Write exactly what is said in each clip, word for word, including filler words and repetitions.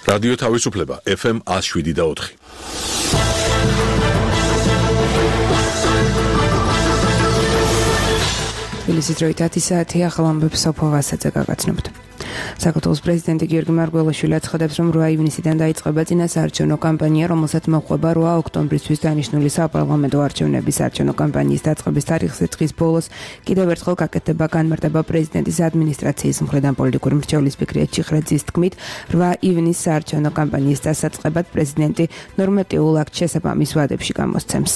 რადიო თავისუფლება ეფ ემ one oh seven და four. თბილისის დროით ათი საათი ახალ ამბებს სოფო ვასაძე გაგაცნობთ. საქართველოს პრეზიდენტი გიორგი მარგველაშვილი აცხადებს, რომ რვა ივნისიდან დაიწყება წინასაარჩევნო კამპანია, რომელსაც მოჰყვება რვა ოქტომბრისთვის დანიშნული საპარლამენტო არჩევნების არჩევნო კამპანიის დაწყების თარიღზე დღის ბოლოს კიდევ ერთხელ გაკეთდება განმარტება პრეზიდენტის ადმინისტრაციის მხრიდან პოლიტიკური მრჩევლის ფიქრია ჩიხრაძის თქმით, რვა ივნის საარჩევნო კამპანიის დასაწყებად პრეზიდენტი ნორმატიულ აქტ შესაბამის ვადებში გამოსცემს.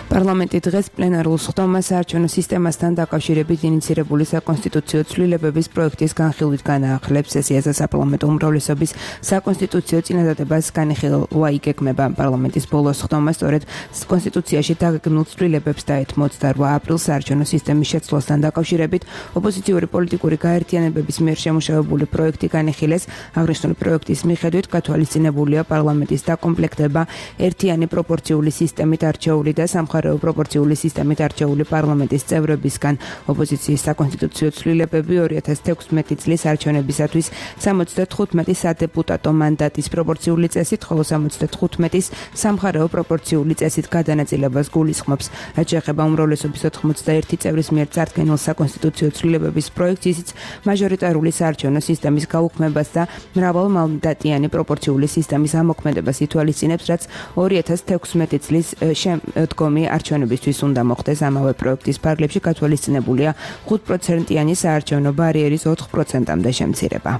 პარლამენტი დღეს პლენარულ სხდომას საარჩევნო სისტემასთან დაკავშირებით ინიცირებული საკონსტიტუციო ცვლილებების პროექტის განხილვით განაახლებს სესიაზე საპარლამენტო უმრავლესობის საკონსტიტუციო წინადადებას განხილვა იგეგმება. პარლამენტის ბოლო სხდომა სწორედ კონსტიტუციაში დაგეგმილ ცვლილებებს დაეთმოც და რვა აპრილს საარჩევნო სისტემის შეცვლასთან დაკავშირებით ოპოზიციური პოლიტიკური გაერთიანებების მიერ შემუშავებული პროექტი განიხილეს. აღნიშნული პროექტის მიხედვით გათვალისწინებულია პარლამენტის დაკომპლექტება ერთიანი პროპორციული სისტემით არჩეული და სამხარეო პროპორციული სისტემით არჩეული პარლამენტის წევრებისგან. ოპოზიციის საკონსტიტუციო ცვლილებები ორი ათას თექვსმეტი წლის არჩევნებისათვის სამოცდათხუთმეტი სადეპუტატო მანდატის პროპორციული წესით, ხოლო სამოცდათხუთმეტის სამხარეო პროპორციული წესით გადანაწილებას გულისხმობს. რაც შეეხება უმრავლესობის ოთხმოცდაერთი წევრის მიერ წარდგენილ საკონსტიტუციო ცვლილებების პროექტს, ისიც მაჟორიტარული საარჩევნო სისტემის გაუქმებას და მრავალმანდატიანი პროპორციული სისტემის ამოქმედებას ითვალისწინებს, რაც ორი ათას თექვსმეტი წლის შემდგომი არჩევნებისთვის უნდა მოხდეს. ამავე პროექტის ფარგლებში გათვალისწინებულია ხუთ პროცენტიანი საარჩევნო ბარიერის ოთხ პროცენტამდე შემცირება.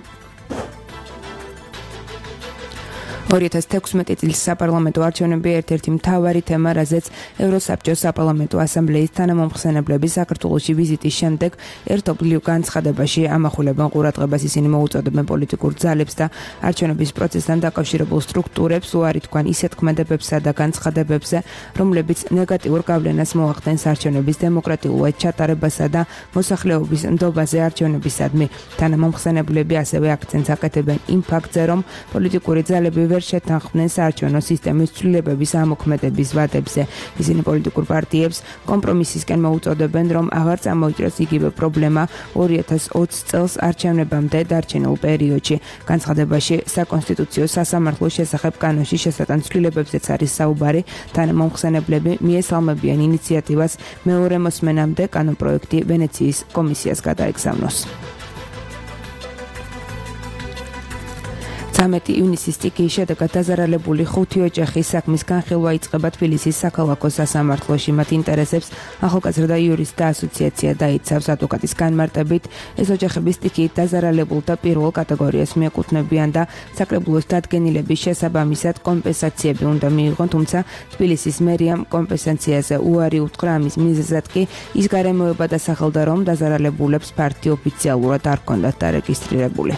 ორი ათას თექვსმეტი წლის საპარლამენტო არჩევნები ერთ-ერთი მთავარი თემა, რაზეც ევროსაბჭოს საპარლამენტო ასამბლეის თანამომხსენებლების საქართველოში ვიზიტის შემდეგ ერთობლივ განცხადებაში ამახვილებენ ყურადღებას. ისინი მოუწოდებენ პოლიტიკურ ძალებს და არჩევნების პროცესთან დაკავშირებულ სტრუქტურებს უარი თქვან ისეთ ქმედებებსა და განცხადებებზე, რომლებიც ნეგატიურ გავლენას მოახდენს არჩევნების დემოკრატიულად ჩატარებასა და მოსახლეობის ნდობაზე არჩევნებისადმი. თანამომხსენებლები ასევე აქცენტს აკეთებენ იმ ფაქტზე, რომ პოლიტიკური ძალები ვერ შეთანხმდნენ საარჩევნო სისტემის ცვლილებების ამოქმედების ვადებზე. ისინი პოლიტიკურ პარტიებს კომპრომისისკენ მოუწოდებენ, რომ აღარ წამოიჭრას იგივე პრობლემა ორი ათას ოცი წელს არჩევნებამდე დარჩენილ პერიოდში. განცხადებაში საკონსტიტუციო სასამართლოს შესახებ კანონში შესატან ცვლილებებზეც არის საუბარი. თანამომხსენებლები მიესალმებიან ინიციატივას მეორე მოსმენამდე კანონპროექტი ვენეციის კომისიას გადაეგზავნოს. ცამეტი ივნისის სტიქიის შედეგად დაზარალებული ხუთი ოჯახის საქმის განხილვა იწყება თბილისის საქალაქო სასამართლოში. მათ ინტერესებს ახალგაზრდა იურისტთა ასოციაცია დაიცავს. ადვოკატის განმარტებით, ეს ოჯახები სტიქიით დაზარალებულთა პირველ კატეგორიას მიეკუთვნებიან და საკრებულოს დადგენილების შესაბამისად კომპენსაციები უნდა მიიღონ, თუმცა თბილისის მერიამ კომპენსაციაზე უარი უთხრა. ამის მიზეზად კი ის გარემოება დასახელდა, რომ დაზარალებულებს ფაქტი ოფიციალურად არ ჰქონდათ დარეგისტრირებული.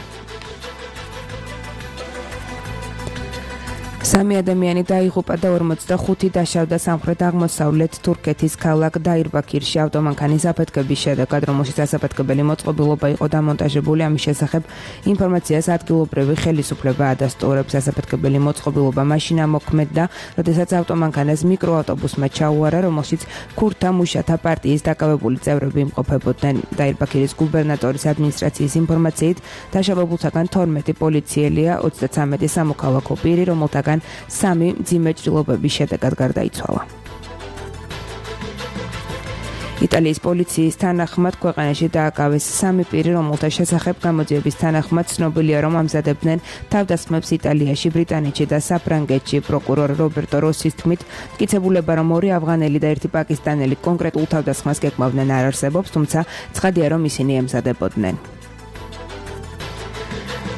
სამი ადამიანი დაიღუპა და ორმოცდახუთი დაშავდა სამხრეთ-აღმოსავლეთ თურქეთის ქალაქ დაირბაქირში ავტომანქანის აფეთქების შედეგად, რომელშიც ასაფეთქებელი მოწყობილობა იყო დამონტაჟებული. ამის შესახებ ინფორმაციას ადგილობრივი ხელისუფლება ადასტურებს. ასაფეთქებელი მოწყობილობა მაშინ ამოქმედდა, როდესაც ავტომანქანას მიკროავტობუსმა ჩაუარა, რომელშიც ქურთთა მუშათა პარტიის დაკავებული წევრები იმყოფებოდნენ. დაირბაქირის გუბერნატორის ადმინისტრაციის ინფორმაციით, დაშავებულთაგან თორმეტი პოლიციელია, ოცდაცამეტი სამოქალაქო პირი, რომელთაგან სამი მძიმე ჭრილობების შედეგად გარდაიცვალა. იტალიის პოლიციის თანახმად ქვეყანაში დააკავეს სამი პირი, რომელთა შესახებ გამოძიების თანახმად ცნობილია, რომ ამზადებდნენ თავდასხმებს იტალიაში, ბრიტანეთში და საფრანგეთში. პროკურორ რობერტო როსის თქმით, მტკიცებულება, რომ ორი ავღანელი და ერთი პაკისტანელი კონკრეტულ თავდასხმას გეკმავდნენ, არ არსებობს, თუმცა ცხადია, რომ ისინი ემზადებოდნენ.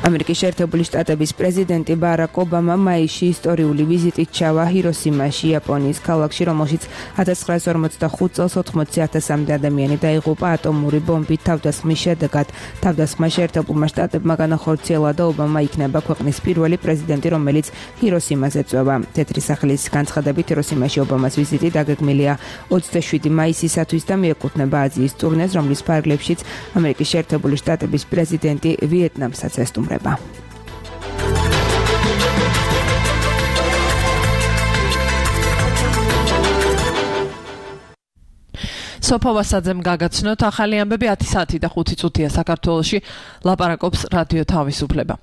ამერიკის შეერთებული შტატების პრეზიდენტი ბარაკ ობამა მაისში ისტორიული ვიზიტით ჩავა ჰიროსიმაში, იაპონიის ქალაქში, რომელშიც ათას ცხრაასი ორმოცდახუთ წელს ოთხმოცი ათასამდე ადამიანი დაიღუპა ატომური ბომბით თავდასხმის შედეგად. თავდასხმა შეერთებულმა შტატებმა განახორციელა და ობამა იქნება ქვეყნის პირველი პრეზიდენტი, რომელიც ჰიროსიმას ეწვევა. თეთრი სახლის განცხადებით, ჰიროსიმაში ობამას ვიზიტი დაგეგმილია ოცდაშვიდი მაისისათვის და მიეკუთვნება აზიის ტურნეს, რომლის ფარგლებშიც ამერიკის შეერთებული შტატების პრეზიდენტი ვიეტნამსაც ესტუმრება. სოფო ვასაძემ გაგაცნოთ ახალი ამბები ათი საათი და ხუთი წუთია საქართველოში ლაპარაკობს რადიო თავისუფლება.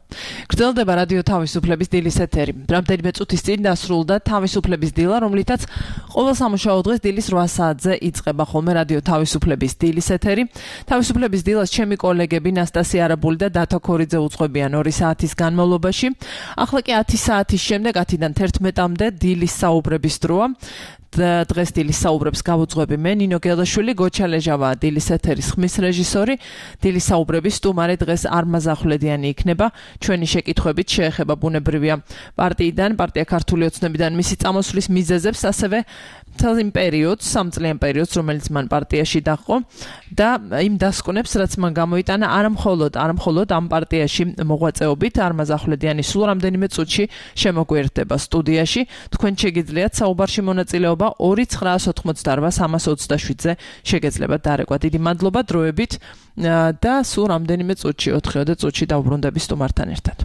გრძელდება რადიო თავისუფლების დილის ეთერი. რამდენიმე წუთის წინ დასრულდა თავისუფლების დილა, რომლითაც ყოველ სამუშაო დღეს დილის რვა საათზე იწყება ხოლმე რადიო თავისუფლების დილის ეთერი. თავისუფლების დილას ჩემი კოლეგები ნასტასია არაბული და დათო ქორიძე უძღვებიან ორი საათის განმავლობაში. ახლა კი ათი საათის შემდეგ ათიდან თერთმეტამდე დილის საუბრების დროა. დღეს დილის საუბრებს გავუძღვები მე ნინო გელაშვილი, გოჩა ლეჟავა დილის ეთერის ხმის რეჟისორი. დილის საუბრების სტუმარი დღეს არმაზ ახვლედიანი იქნება. ჩვენი შეკითხვებით შეეხება ბუნებრივია პარტიიდან, პარტია ქართული ოცნებიდან მისი წამოსვლის მიზეზებს, ასევე მთელ იმ პერიოდს, სამწლიან პერიოდს, რომელიც მან პარტიაში დაჰყო და იმ დასკვნებს, რაც მან გამოიტანა არა მხოლოდ, არა მხოლოდ ამ პარტიაში მოღვაწეობით. არმაზ ახვლედიანი სულ რამდენიმე წუთში შემოგვერდება სტუდიაში. თქვენ შეგიძლიათ საუბარში მონაწილეობა ორი ცხრაას ოთხმოცდარვა სამას ოცდაშვიდზე შეგეძლებათ დარეკვა. დიდი მადლობა დროებით და სულ რამდენიმე წუთში, ოთხიოდე წუთში დავბრუნდები სტუმართან ერთად.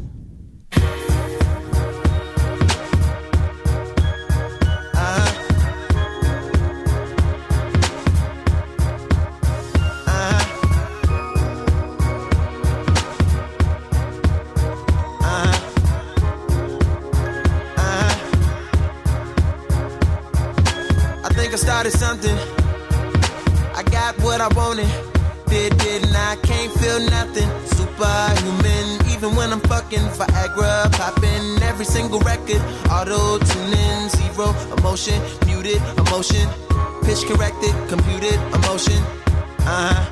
I started something, I got what I wanted, did, did, and I can't feel nothing, superhuman, even when I'm fucking Viagra, popping every single record, auto-tuning, zero emotion, muted emotion, pitch corrected, computed emotion, uh-huh,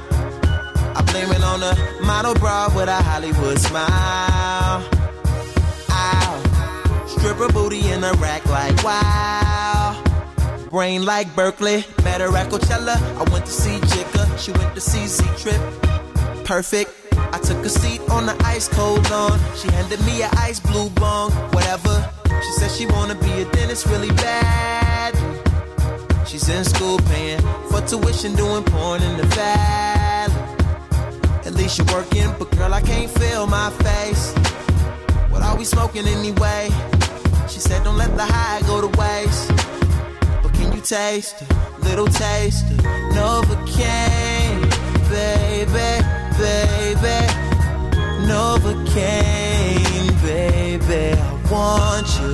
I blame it on a model bra with a Hollywood smile, ow, stripper booty in a rack like wow. Brain like Berkeley, met her at Coachella. I went to see Jigga, she went to see Z-Trip. Perfect, I took a seat on the ice cold lawn. She handed me an ice blue bong, whatever. She said she wanna be a dentist really bad. She's in school paying for tuition, doing porn in the valley. At least you're working, but girl, I can't feel my face. What are we smoking anyway? She said don't let the high go to waste. Can you taste a little taste of Novocaine, baby, baby, Novocaine, baby, I want you.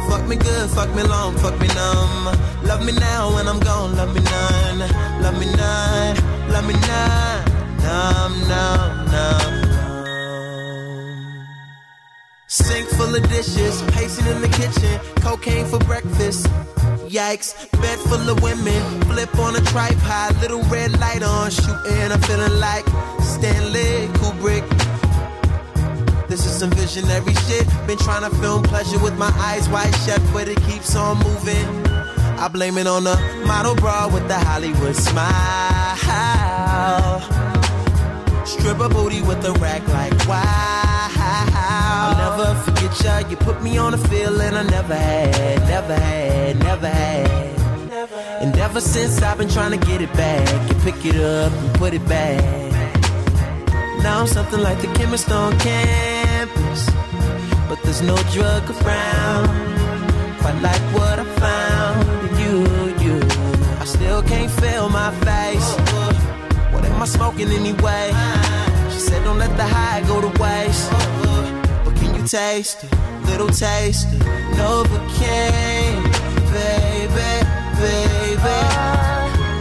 Fuck me good, fuck me long, fuck me numb. Love me now when I'm gone, love me none, love me none, love me none, numb, numb, numb. Sink full of dishes, pacing in the kitchen, cocaine for breakfast. Yikes, bed full of women, flip on a tripod, little red light on, shooting, I'm feeling like Stanley Kubrick. This is some visionary shit, been trying to film pleasure with my eyes wide shut, but it keeps on moving. I blame it on the model bra with the Hollywood smile, stripper booty with the rack like wow. I'll never forget ya, you put me on a feeling I never had, never had, never had. And ever since I've been trying to get it back, you pick it up and put it back. Now I'm something like the chemist on campus, but there's no drug around, quite like what I found in you, you. I still can't feel my face, what am I smoking anyway? She said don't let the high go to waste. Taste, little taste, Novocaine, baby, baby,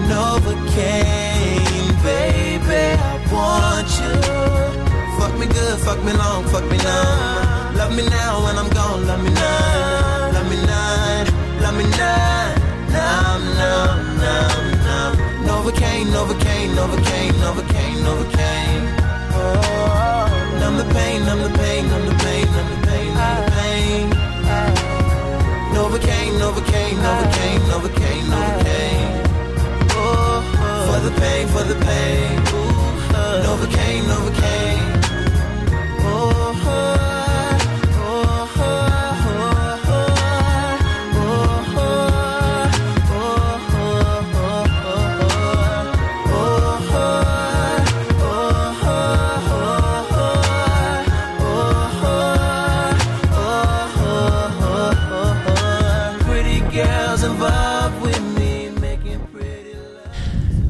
Novocaine, baby, I want you. Fuck me good, fuck me long, fuck me numb. Love me now when I'm gone, love me none, love me none, love me none, numb, numb, numb, numb. Novocaine, Novocaine, Novocaine, Novocaine, Novocaine. Oh, numb the pain, numb the pain, numb the pain, numb the pain, numb the pain. Novocaine, Novocaine, Novocaine, Novocaine, Novocaine.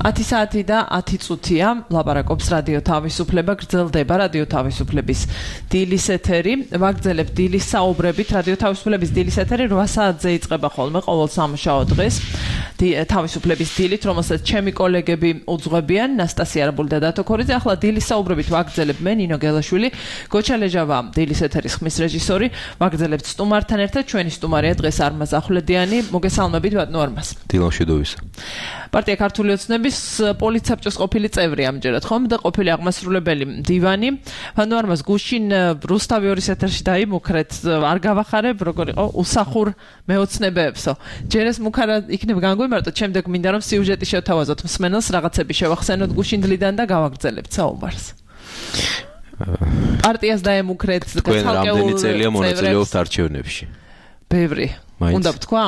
ათი საათი და ათი წუთია ლაპარაკობს რადიო თავისუფლება, გრძელდება რადიო თავისუფლების დილის ეთერი. ვაგრძელებთ დილის საუბრებით. რადიო თავისუფლების დილის ეთერი რვა საათზე იწყება ხოლმე ყოველ სამუშაო დღეს. თავისუფლების დილით, რომელსაც ჩემი კოლეგები უძღვებიან, ნასტასია არაბული და დათო ქორიძე. ახლა დილის საუბრებით ვაგრძელებ მე, ნინო გელაშვილი, გოჩა ლეჟავა, დილის ეთერის ხმის რეჟისორი. ვაგრძელებთ სტუმართან ერთად. ჩვენი სტუმარია დღეს არმაზ ახვლედიანი. მოგესალმებით ბატონო არმაზ. დილამშვიდობისა. პარტია ქართული ოცნების პოლიცსაბჭოს ყოფილი წევრი ამჯერად ხომ და ყოფილი აღმასრულებელი მდივანი. ბატონო არმაზ, გუშინ რუსთავი ორის ეთერში დაიმუქრეთ, არ გავახარებ, როგორ იყო უსახურ მეოცნებებსო. ჯერ ეს მუქარა იქნებ განგვიმარტოთ, შემდეგ მინდა რომ სიუჟეტი შევთავაზოთ მსმენელს, რაღაცები შევახსენოთ გუშინ დლიდან და გავაგრძელებთ საუბარს. პარტიას დაემუქრეთ, თქვენ რამდენი წელია მონაწილეობთ არჩევნებში? ბევრი. უნდა ვთქვა?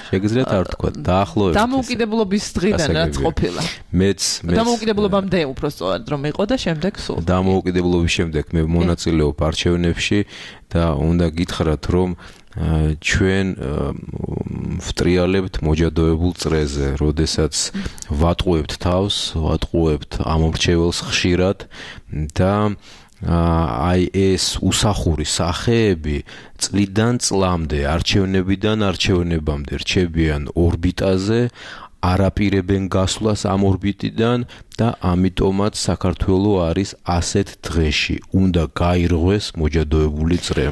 შეგიძლიათ არ თქვა, დაახლოებით. დამოუკიდებლობის დღიდან რაც ყოფილა. მეც მეც დამოუკიდებლობამდე უბრალოდ რომ იყო და შემდეგ სულ. დამოუკიდებლობის შემდეგ მე მონაწილეობ არჩევნებში და უნდა გითხრათ რომ ჩვენ ვტრიალებთ მოჯადოებულ წრეზე, როდესაც ვატყუებთ თავს, ვატყუებთ ამორჩეველს ხშირად და აი ეს უსახური სახეები წლიდან წლამდე, არჩევნებიდან არჩევნებამდე რჩებიან ორბიტაზე, არაპირებენ გასვლას ამ ორბიტიდან და ამიტომაც საქართველო არის ასეთ დღეში. უნდა გაირღვეს მოჯადოებული წრე.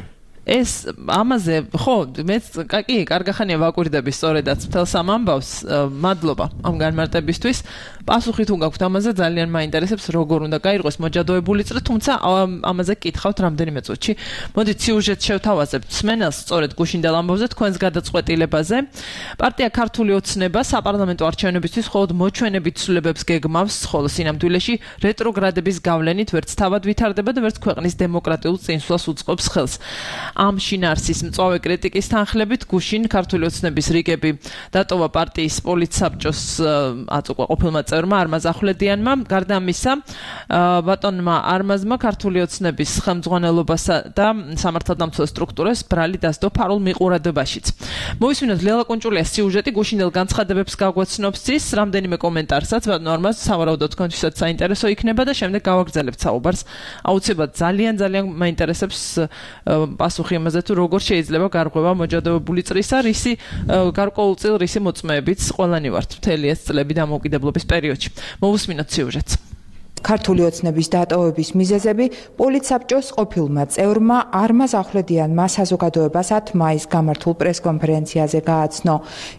ეს ამაზე ხო მეც კი კარგახანია ვაკვირდები სწორედაც მთელს ამ ამბავს. მადლობა ამ განმარტებისთვის. პასუხი თუ გაქვთ ამაზე ძალიან მაინტერესებს როგორ უნდა გაირღვეს მოჯადოებული წრე, თუმცა ამაზე კითხავთ რამდენიმე წუთში. მოდით სიუჟეტს შევთავაზებთ მსმენელს სწორედ გუშინდელ ამბავზე თქვენს გადაწყვეტილებაზე. პარტია ქართული ოცნება საპარლამენტო არჩევნებისთვის მხოლოდ მოჩვენებით ცვლილებებს გეგმავს, ხოლო სინამდვილეში რეტროგრადების გავლენით ვერც თავად ვითარდება და ვერც ქვეყნის დემოკრატიულ წინსვლას უწყობს ხელს. ამ შინაარსის მწვავე კრიტიკის თანხლებით გუშინ ქართული ოცნების რიგები დატოვა პარტიის პოლიცსაბჭოს აწუყვა ყოფილმა წევრმა არმაზ ახვლედიანმა. გარდა ამისა, ბატონმა არმაზმა ქართული ოცნების ხელმძღვანელობასა და სამართალდამცავ სტრუქტურას ბრალი დასდო ფარულ მიყურადობაშიც. მოვისმინოთ ლელა კუნჭულიას სიუჟეტი, გუშინდელ განცხადებებს გაგვაცნობს ის, რამდენიმე კომენტარსაც ბატონო არმაზ სავარაუდოდ თქვენთვისაც საინტერესო იქნება და შემდეგ გავაგრძელებთ საუბარს. აუცილებლად ძალიან ძალიან მაინტერესებს პასუხი იმაზე თუ როგორ შეიძლება გარღვევა მოჯადოებული წრისა, რისი გარკვეულწილ რისი მოწმეებიც ყველანი ვართ მთელი ეს წლები დამოუკიდებლობის პერიოდში. მოვუსმინოთ სიუჟეტს. ქართული ოცნების დატოვების მიზეზები პოლიცსაბჭოს ყოფილმა წევრმა არმაზ ახვლედიანმა საზოგადოებას ათ მაისს გამართულ პრესკონფერენციაზე გააცნო.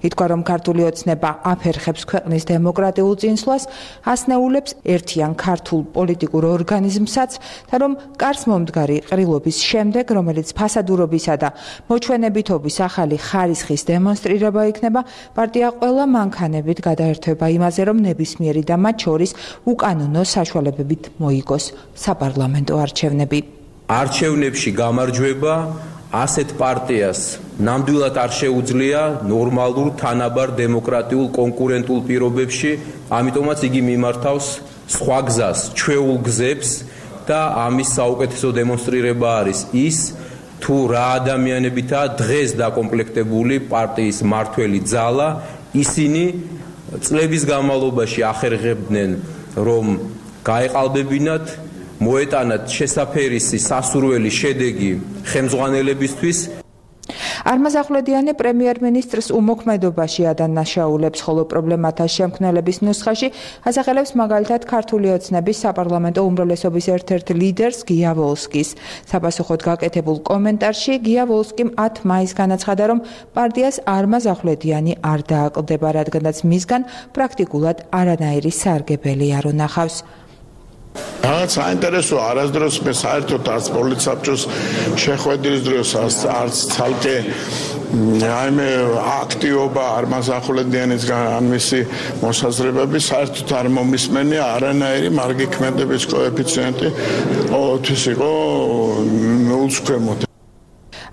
ითქვა, რომ ქართული ოცნება აფერხებს ქვეყნის დემოკრატიულ წინსვლას, ასნეულებს ერთიან ქართულ პოლიტიკურ ორგანიზმსაც და რომ კარს მომდგარი ყრილობის შემდეგ, რომელიც ფასადურობისა და მოჩვენებითობის ახალი ხარისხის დემონსტრირება იქნება, პარტია ყველა მანქანებით გადაერთვება იმაზე, რომ ნებისმიერი და მათ შორის უკანონო საშუალებებით მოიგოს საპარლამენტო არჩევნები. არჩევნებში გამარჯვება ასეთ პარტიას ნამდვილად არ შეუძლია ნორმალურ, თანაბარ, დემოკრატიულ, კონკურენტულ პირობებში, ამიტომაც იგი მიმართავს სხვა გზას, ჩვეულ გზებს და ამის საუკეთესო დემონსტრირება არის ის, თუ რა ადამიანებითაა დღეს დაკომპლექტებული პარტიის მმართველი ძალა, ისინი წლების განმავლობაში ახერხებდნენ, რომ გაეყალბებინათ, მოეტანათ შესაფერისი სასურველი შედეგი ხელმძღვანელებისთვის. არმაზ ახვლედიანი პრემიერ-მინისტრს უმოქმედობაში ადანაშაულებს, ხოლო პრობლემათა შემქმნელების ნუსხაში ასახელებს მაგალითად ქართული ოცნების საპარლამენტო უმრავლესობის ერთ-ერთ ლიდერს გია ვოლსკის. საპასუხოდ გაკეთებულ კომენტარში გია ვოლსკიმ ათ მაისს განაცხადა, რომ პარტიას არმაზ ახვლედიანი არ დააკლდება, რადგანაც მისგან პრაქტიკულად არანაირი სარგებელი არ უნახავს. რაღაც საინტერესო, არასდროს მე საერთოდ არც პოლიცსაბჭოს შეხვედრის დროს არც ცალკე აი მე აქტივობა არმაზ ახვლედიანისგან ან მისი მოსაზრებები საერთოდ არ მომისმენია, არანაირი მარგი ქმედების კოეფიციენტი ყოველთვის იყო ნულის ქვემოთ.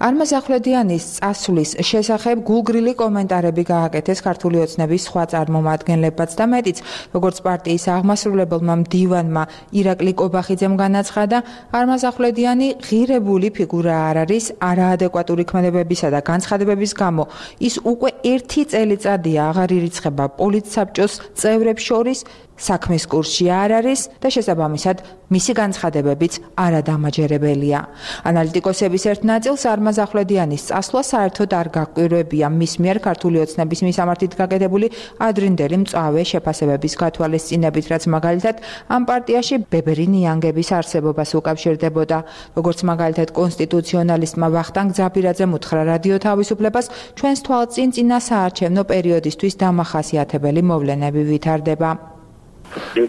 არმაზ ახვლედიანის წასვლის შესახებ გულგრილი კომენტარები გააკეთეს ქართული ოცნების სხვა წარმომადგენლებაც და მეტიც, როგორც პარტიის აღმასრულებელმა მდივანმა ირაკლი კობახიძემ განაცხადა, არმაზ ახვლედიანი ღირებული ფიგურა არ არის არაადეკვატური ქმედებებისა და განცხადებების გამო. ის უკვე ერთი წელიწადია აღარ ირიცხება პოლიტსაბჭოს წევრებს შორის, საქმის კურსში არ არის და შესაბამისად მისი განცხადებებიც არადამაჯერებელია. ანალიტიკოსების ერთ ნაწილს არმაზ ახვლედიანის წასვლა საერთოდ არ გაკვირვებია მის მიერ ქართული ოცნების მისამართით გაკეთებული ადრინდელი მწვავე შეფასებების გათვალისწინებით, რაც მაგალითად ამ პარტიაში ბებერი ნიანგების არსებობას უკავშირდებოდა. როგორც მაგალითად კონსტიტუციონალისტმა ვახტანგ ძაბირაძემ უთხრა რადიო თავისუფლებას, ჩვენს თვალწინ წინა საარჩევნო პერიოდისთვის დამახასიათებელი მოვლენები ვითარდება.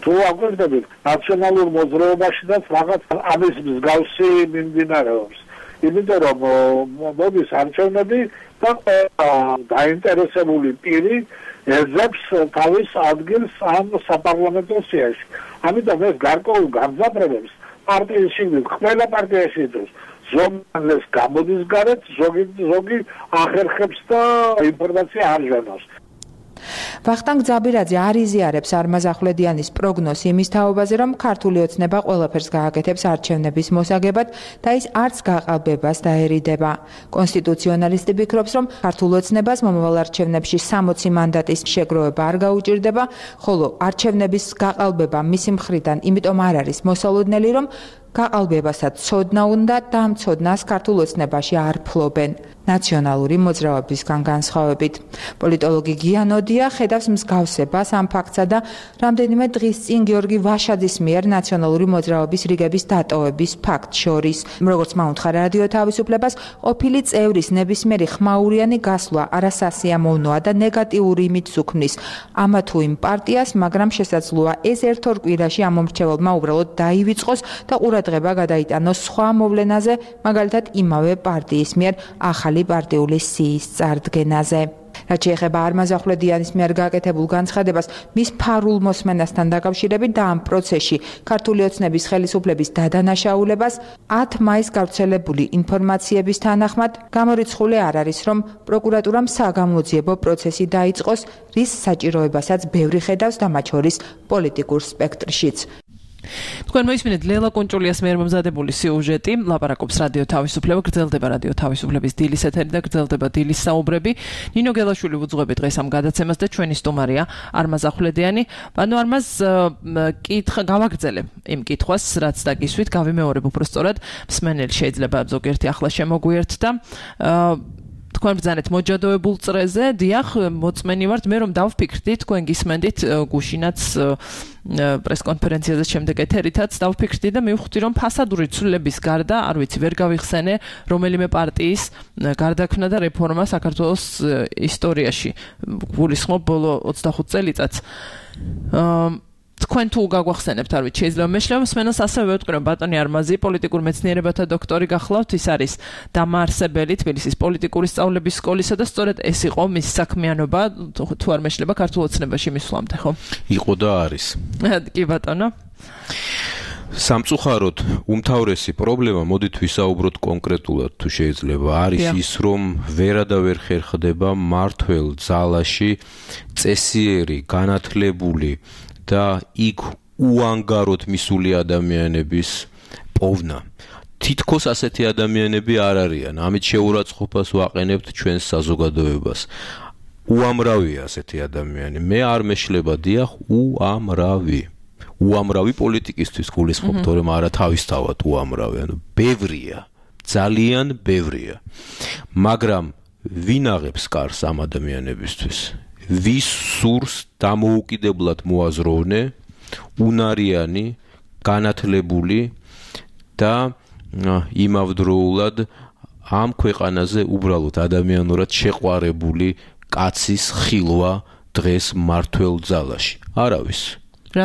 თუ აკვირდებით ნაციონალურ მოძრაობაშიც რაღაც ამის მსგავსი მიმდინარეობს. იმიტომ რომ მოდის არჩევნები და დაინტერესებული პირი ეძებს თავის ადგილს ამ საპარლამენტო სიაში. ამიტომ ეს გარკვეულ გამძაფრებებს პარტიის შიგნით ყველა პარტიაში იწვევს. ზოგადად გამოდის გარეთ, ზოგი ზოგი ახერხებს და ინფორმაცია არ ჟანავს. ვახტანგ ძაბირაძე არ იზიარებს არმაზ ახვლედიანის პროგნოზს იმის თაობაზე, რომ ქართული ოცნება ყველაფერს გააკეთებს არჩევნების მოსაგებად და ის არც გაყალბებას დაერიდება. კონსტიტუციონალისტი ფიქრობს, რომ ქართულ ოცნებას მომავალ არჩევნებში სამოცი მანდატის შეგროვება არ გაუჭირდება, ხოლო არჩევნების გაყალბება მისი მხრიდან იმიტომ არ არის მოსალოდნელი, რომ გაყალბებასაც ცოდნა უნდა და ამ ცოდნას ქართულ ოცნებაში არ ფლობენ. ნაციონალური მოძრაობისგან განსხვავებით. პოლიტოლოგი გიანოდია ხედავს მსგავსებას ამ ფაქტსა და რამდენიმე დღის წინ გიორგი ვაშაძის მიერ ნაციონალური მოძრაობის რიგების დატოვების ფაქტს შორის. როგორც მაუნთხა რადიო თავისუფლებას, ყოფილი წევრის ნებისმიერი ხმაურიანი გასვლა არასასიამოვნოა და ნეგატიური იმიჯს უქმნის ამა თუ იმ პარტიას, მაგრამ შესაძლოა ეს ერთ ორ კვირაში ამ მომრჩეველმა უბრალოდ დაივიწყოს და ყურადღება გადაიტანოს სხვა მოვლენაზე, მაგალითად იმავე პარტიის მიერ ახალი პარტიული სიის წარდგენაზე. რაც შეეხება არმაზ ახვლედიანის მიერ გაკეთებულ განცხადებას, მის ფარულ მოსმენასთან დაკავშირებით და ამ პროცესში ქართული ოცნების ხელისუფლების დადანაშაულებას ათ მაისს გავრცელებული ინფორმაციების თანახმად გამორიცხული არ არის, რომ პროკურატურამ საგამოძიებო პროცესი დაიწყოს, რის საჭიროებასაც ბევრი ხედავს და მათ შორის პოლიტიკურ სპექტრშიც. თქვენ მოისმინეთ ლელა კონჭულიას მიერ მომზადებული სიუჟეტი, ლაპარაკობს რადიო თავისუფლება, გრძელდება რადიო თავისუფლების დილის ეთერი და გრძელდება დილის საუბრები. ნინო გელაშვილი ვუძღვები დღეს ამ გადაცემას და ჩვენი სტუმარია არმაზ ახვლედიანი. ანუ არმაზ კითხა გავაგრძელებ იმ კითხვას, რაც დაგისვით, გავიმეორებ უბრალოდ მსმენელი შეიძლება ზოგიერთი ახლა შემოგვიერთდა. თქვენ ბრძანეთ მოჯადოებულ წრეზე, დიახ, მოწმენი ვართ, მე რომ დავფიქრდი, თქვენ გისმენდით გუშინაც პრესკონფერენციაზე შემდეგ ეთერითაც დავფიქრდი და მივხვდი, რომ ფასადური ცვლილების გარდა, არ ვიცი, ვერ გავიხსენე რომელიმე პარტიის გარდაქმნა და რეფორმა საქართველოს ისტორიაში. გულისხმობ ბოლო ოცდახუთ წელიწადს. თქვენ თუ გაგვახსენებთ, არ ვიცი, შეიძლება მეშლება მსმენელს ასევე ვეთქვი, რომ ბატონი არმაზი პოლიტიკურ მეცნიერებათა დოქტორი გახლავთ, ის არის დამაარსებელი თბილისის პოლიტიკური სწავლების სკოლისა და სწორედ ეს იყო მის საქმიანობა, თუ არ მეშლება ქართულ ოცნებაში მისვლამდე, ხო? იყო და არის. კი ბატონო. სამწუხაროდ უმთავრესი პრობლემა, მოდით ვისაუბროთ კონკრეტულად, თუ შეიძლება, არის ის, რომ ვერა და ვერ ხერხდება მართველ ძალაში წესიერი, განათლებული და იქ უანგაროდ მისული ადამიანების პოვნა. თითქოს ასეთი ადამიანები არ არიან. ამით შეურაცხყოფას ვაყენებთ ჩვენს საზოგადოებას. უამრავია ასეთი ადამიანი. მე არ მეშლება დიახ, უამრავი. უამრავი პოლიტიკისთვის გულისხმობ, თორემ არა თავისთავად უამრავი, ანუ ბევრია. ძალიან ბევრია. მაგრამ ვინ აღებს კარს ამ ადამიანებისთვის? ვის სურს დამოუკიდებლად მოაზროვნე, უნარიანი, განათლებული და იმავდროულად ამ ქვეყანაზე უბრალოდ ადამიანურად შეყვარებული კაცის ხილვა დღეს მართველ ძალაში. არავის.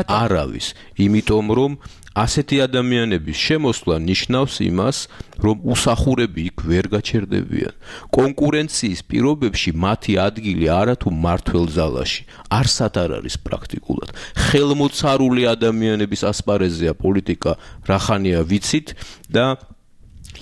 არავის. იმიტომ რომ ასეთი ადამიანების შემოსვლა ნიშნავს იმას, რომ უსახურები იქ ვერ გაჩერდებიან. კონკურენციის პირობებში მათი ადგილი არათუ მართველ ძალაში არსად არ არის პრაქტიკულად. ხელმოცარული ადამიანების ასპარეზია პოლიტიკა, რახანია ვიცით და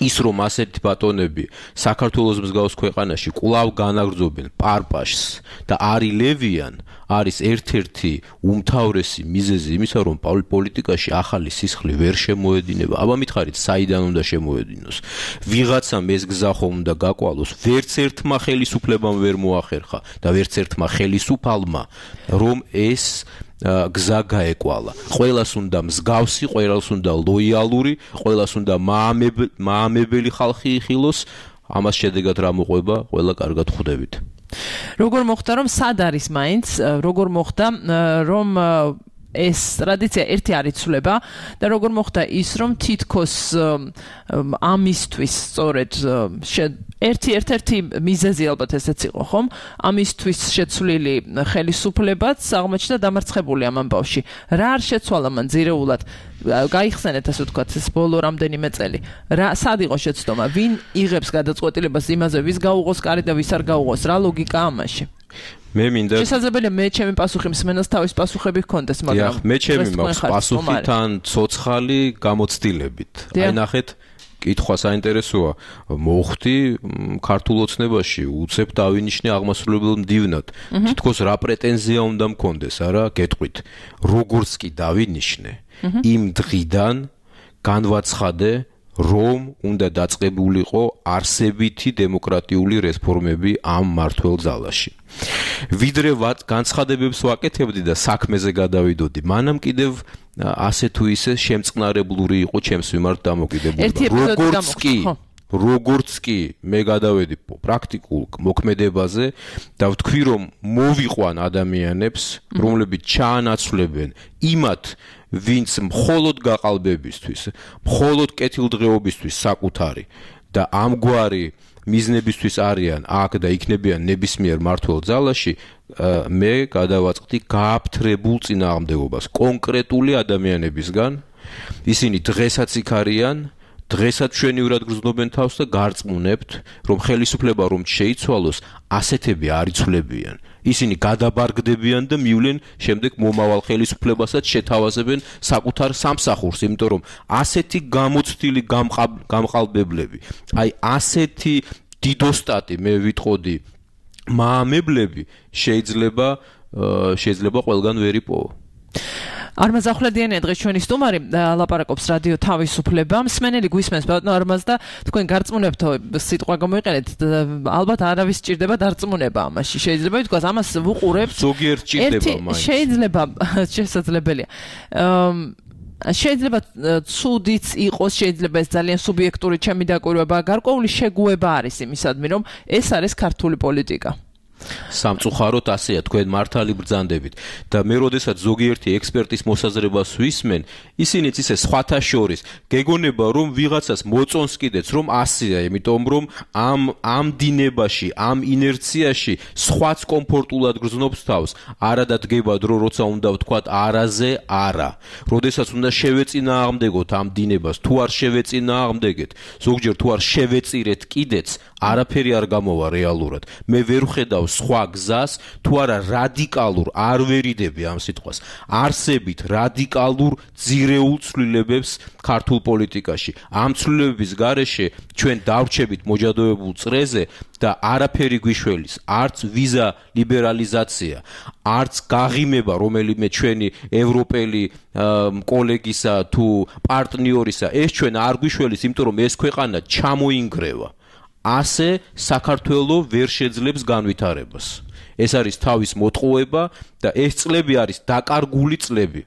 ის რომ ასეთი ბატონები საქართველოს მსგავს ქვეყანაში კვლავ განაგრძობენ პარპაშს და არილებიან არის ერთ-ერთი უმთავრესი მიზეზი იმისა რომ პოლიტიკაში ახალი სისხლი ვერ შემოედინება. აბა მითხარით საიდან უნდა შემოედინოს? ვიღაცამ ეს გზა ხომ უნდა გაკვალოს, ვერც ერთმა ხელისუფლებამ ვერ მოახერხა და ვერც ერთმა ხელისუფალმა რომ ეს გზა გაეკვალა. ყველას უნდა მსგავსი, ყველას უნდა ლოიალური, ყველას უნდა მაამებელი ხალხი იხილოს. ამას შედეგად რა მოყვება, ყველა კარგად ხვდებით. როგორ მოხდა რომ სად არის მაინც, როგორ მოხდა რომ ეს ტრადიცია ერთი არ იცვლება და როგორ მოხდა ის რომ თითქოს ამისთვის სწორედ ერთი ერთ-ერთი მიზეზი ალბათ ესეც იყო ხომ ამისთვის შეცვლილი ხელისუფლებაც აღმოჩნდა დამარცხებული ამ ამბავში რა არ შეცვალა მან ძირეულად გაიხსენეთ ასე ვთქვათ ეს ბოლო რამდენიმე წელი რა სად იყო შეცდომა ვინ იღებს გადაწყვეტილებას იმაზე ვის გაუღოს კარი და ვის არ გაუღოს რა ლოგიკა ამაში მე მინდა შესაძლებელია მე ჩემი პასუხი მსმენელს თავის პასუხები ჰქონდეს მაგრამ მე ჩემი მაქვს პასუხი თან ცოცხალი გამოცდილებით აი ნახეთ კითხვა საინტერესოა მოხდი ქართულ ოცნებაში უცებ დავინიშნე აღმასრულებელ მდივნად თითქოს რა პრეტენზია უნდა მქონდეს არა გეტყვით როგორც კი დავინიშნე იმ დღიდან განვაცხადე რომ უნდა დაწყებულიყო არსებითი დემოკრატიული რეფორმები ამ მართლ ძალაში. ვიდრე განცხადებებს ვაკეთებდი და საქმეზე გადავიდოდი, მანამ კიდევ ასე თუ ისე შემწყნარებლური იყო ჩემს მიმართ დამოკიდებულება. როგორც კი როგორც კი მე გადავედი პრაქტიკულ მოქმედებაზე და ვთქვი რომ მოვიყვან ადამიანებს, რომლებიც ჩაანაცვლებენ იმათ ვინც მხოლოდ გაყალბებისთვის, მხოლოდ კეთილდღეობისთვის საკუთარი და ამგვარი მიზნებისთვის არიან აქ და იქნებიან ნებისმიერ მართლ ძალაში, მე გადავაწყდი გააფთრებულ წინააღმდეგობას კონკრეტული ადამიანებისგან, ისინი დღესაც იქ არიან, დღესაც ჩვენივრად გრძნობენ თავს და გარწმუნებთ, რომ ხელისუფლება რომ შეიცვალოს, ასეთები არ იცვლებიან. ისინი გადაბარგდებიან და მივლენ შემდეგ მომავალ ხელისუფლებასაც შეთავაზებენ საკუთარ სამსახურს, იმიტომ რომ ასეთი გამოცდილი გამყალბებლები, აი ასეთი დიდოსტატი მე ვიტყოდი მაამებლები შეიძლება შეიძლება ყველგან ვერ იპოვო. Armaz ახვლედიანია დღეს ჩვენი სტუმარი ლაპარაკობს რადიო თავისუფლება. მსმენელი გვისმენს ბატონო Armaz და თქვენ გარწმუნებთო სიტყვა გამოიყენეთ. ალბათ არავის სჭირდება დარწმუნება ამაში. შეიძლება ითქვას ამას ვუყურებთ. ზოგიერთ სჭირდება მაინც. შეიძლება შესაძლებელია. შეიძლება ცუდიც იყოს, შეიძლება ეს ძალიან სუბიექტური ჩემი დაკვირვება, გარკვეული შეგუება არის იმისადმი, რომ ეს არის ქართული პოლიტიკა. სამწუხაროდ ასეა თქვენ მართალი ბრძანდებით და მე როდესაც ზოგიერთი ექსპერტის მოსაზრებას ვისმენ ისინიც ისე სხვათა შორის გეგონება რომ ვიღაცას მოწონს კიდეც რომ ასეა იმიტომ რომ ამ ამ დინებაში ამ ინერციაში სხვაც კომფორტულად გრძნობს თავს არადა დგება დრო როცა უნდა ვთქვათ არაზე არა როდესაც უნდა შევეწინააღმდეგოთ ამ დინებას თუ არ შევეწინააღმდეგეთ ზოგჯერ თუ არ შევეწირეთ კიდეც არაფერი არ გამოვა რეალურად მე ვერ ვხედავ სხვა გზას თუ არა რადიკალურ არ ვერიდები ამ სიტყვას არსებით რადიკალურ ძირეულ ცვლილებებს ქართულ პოლიტიკაში ამ ცვლილებების გარეშე ჩვენ დავრჩებით მოჯადოებულ წრეზე და არაფერი გვიშველის არც ვიზა ლიბერალიზაცია არც გაღიმება რომელიმე ჩვენი ევროპელი კოლეგისა თუ პარტნიორისა ეს ჩვენ არ გვიშველის იმიტომ რომ ეს ქვეყანა ჩამოინგრევა ასე საქართველოს ვერ შეძლებს განვითარებას. ეს არის თავის მოტყუება და ეს წლები არის დაკარგული წლები.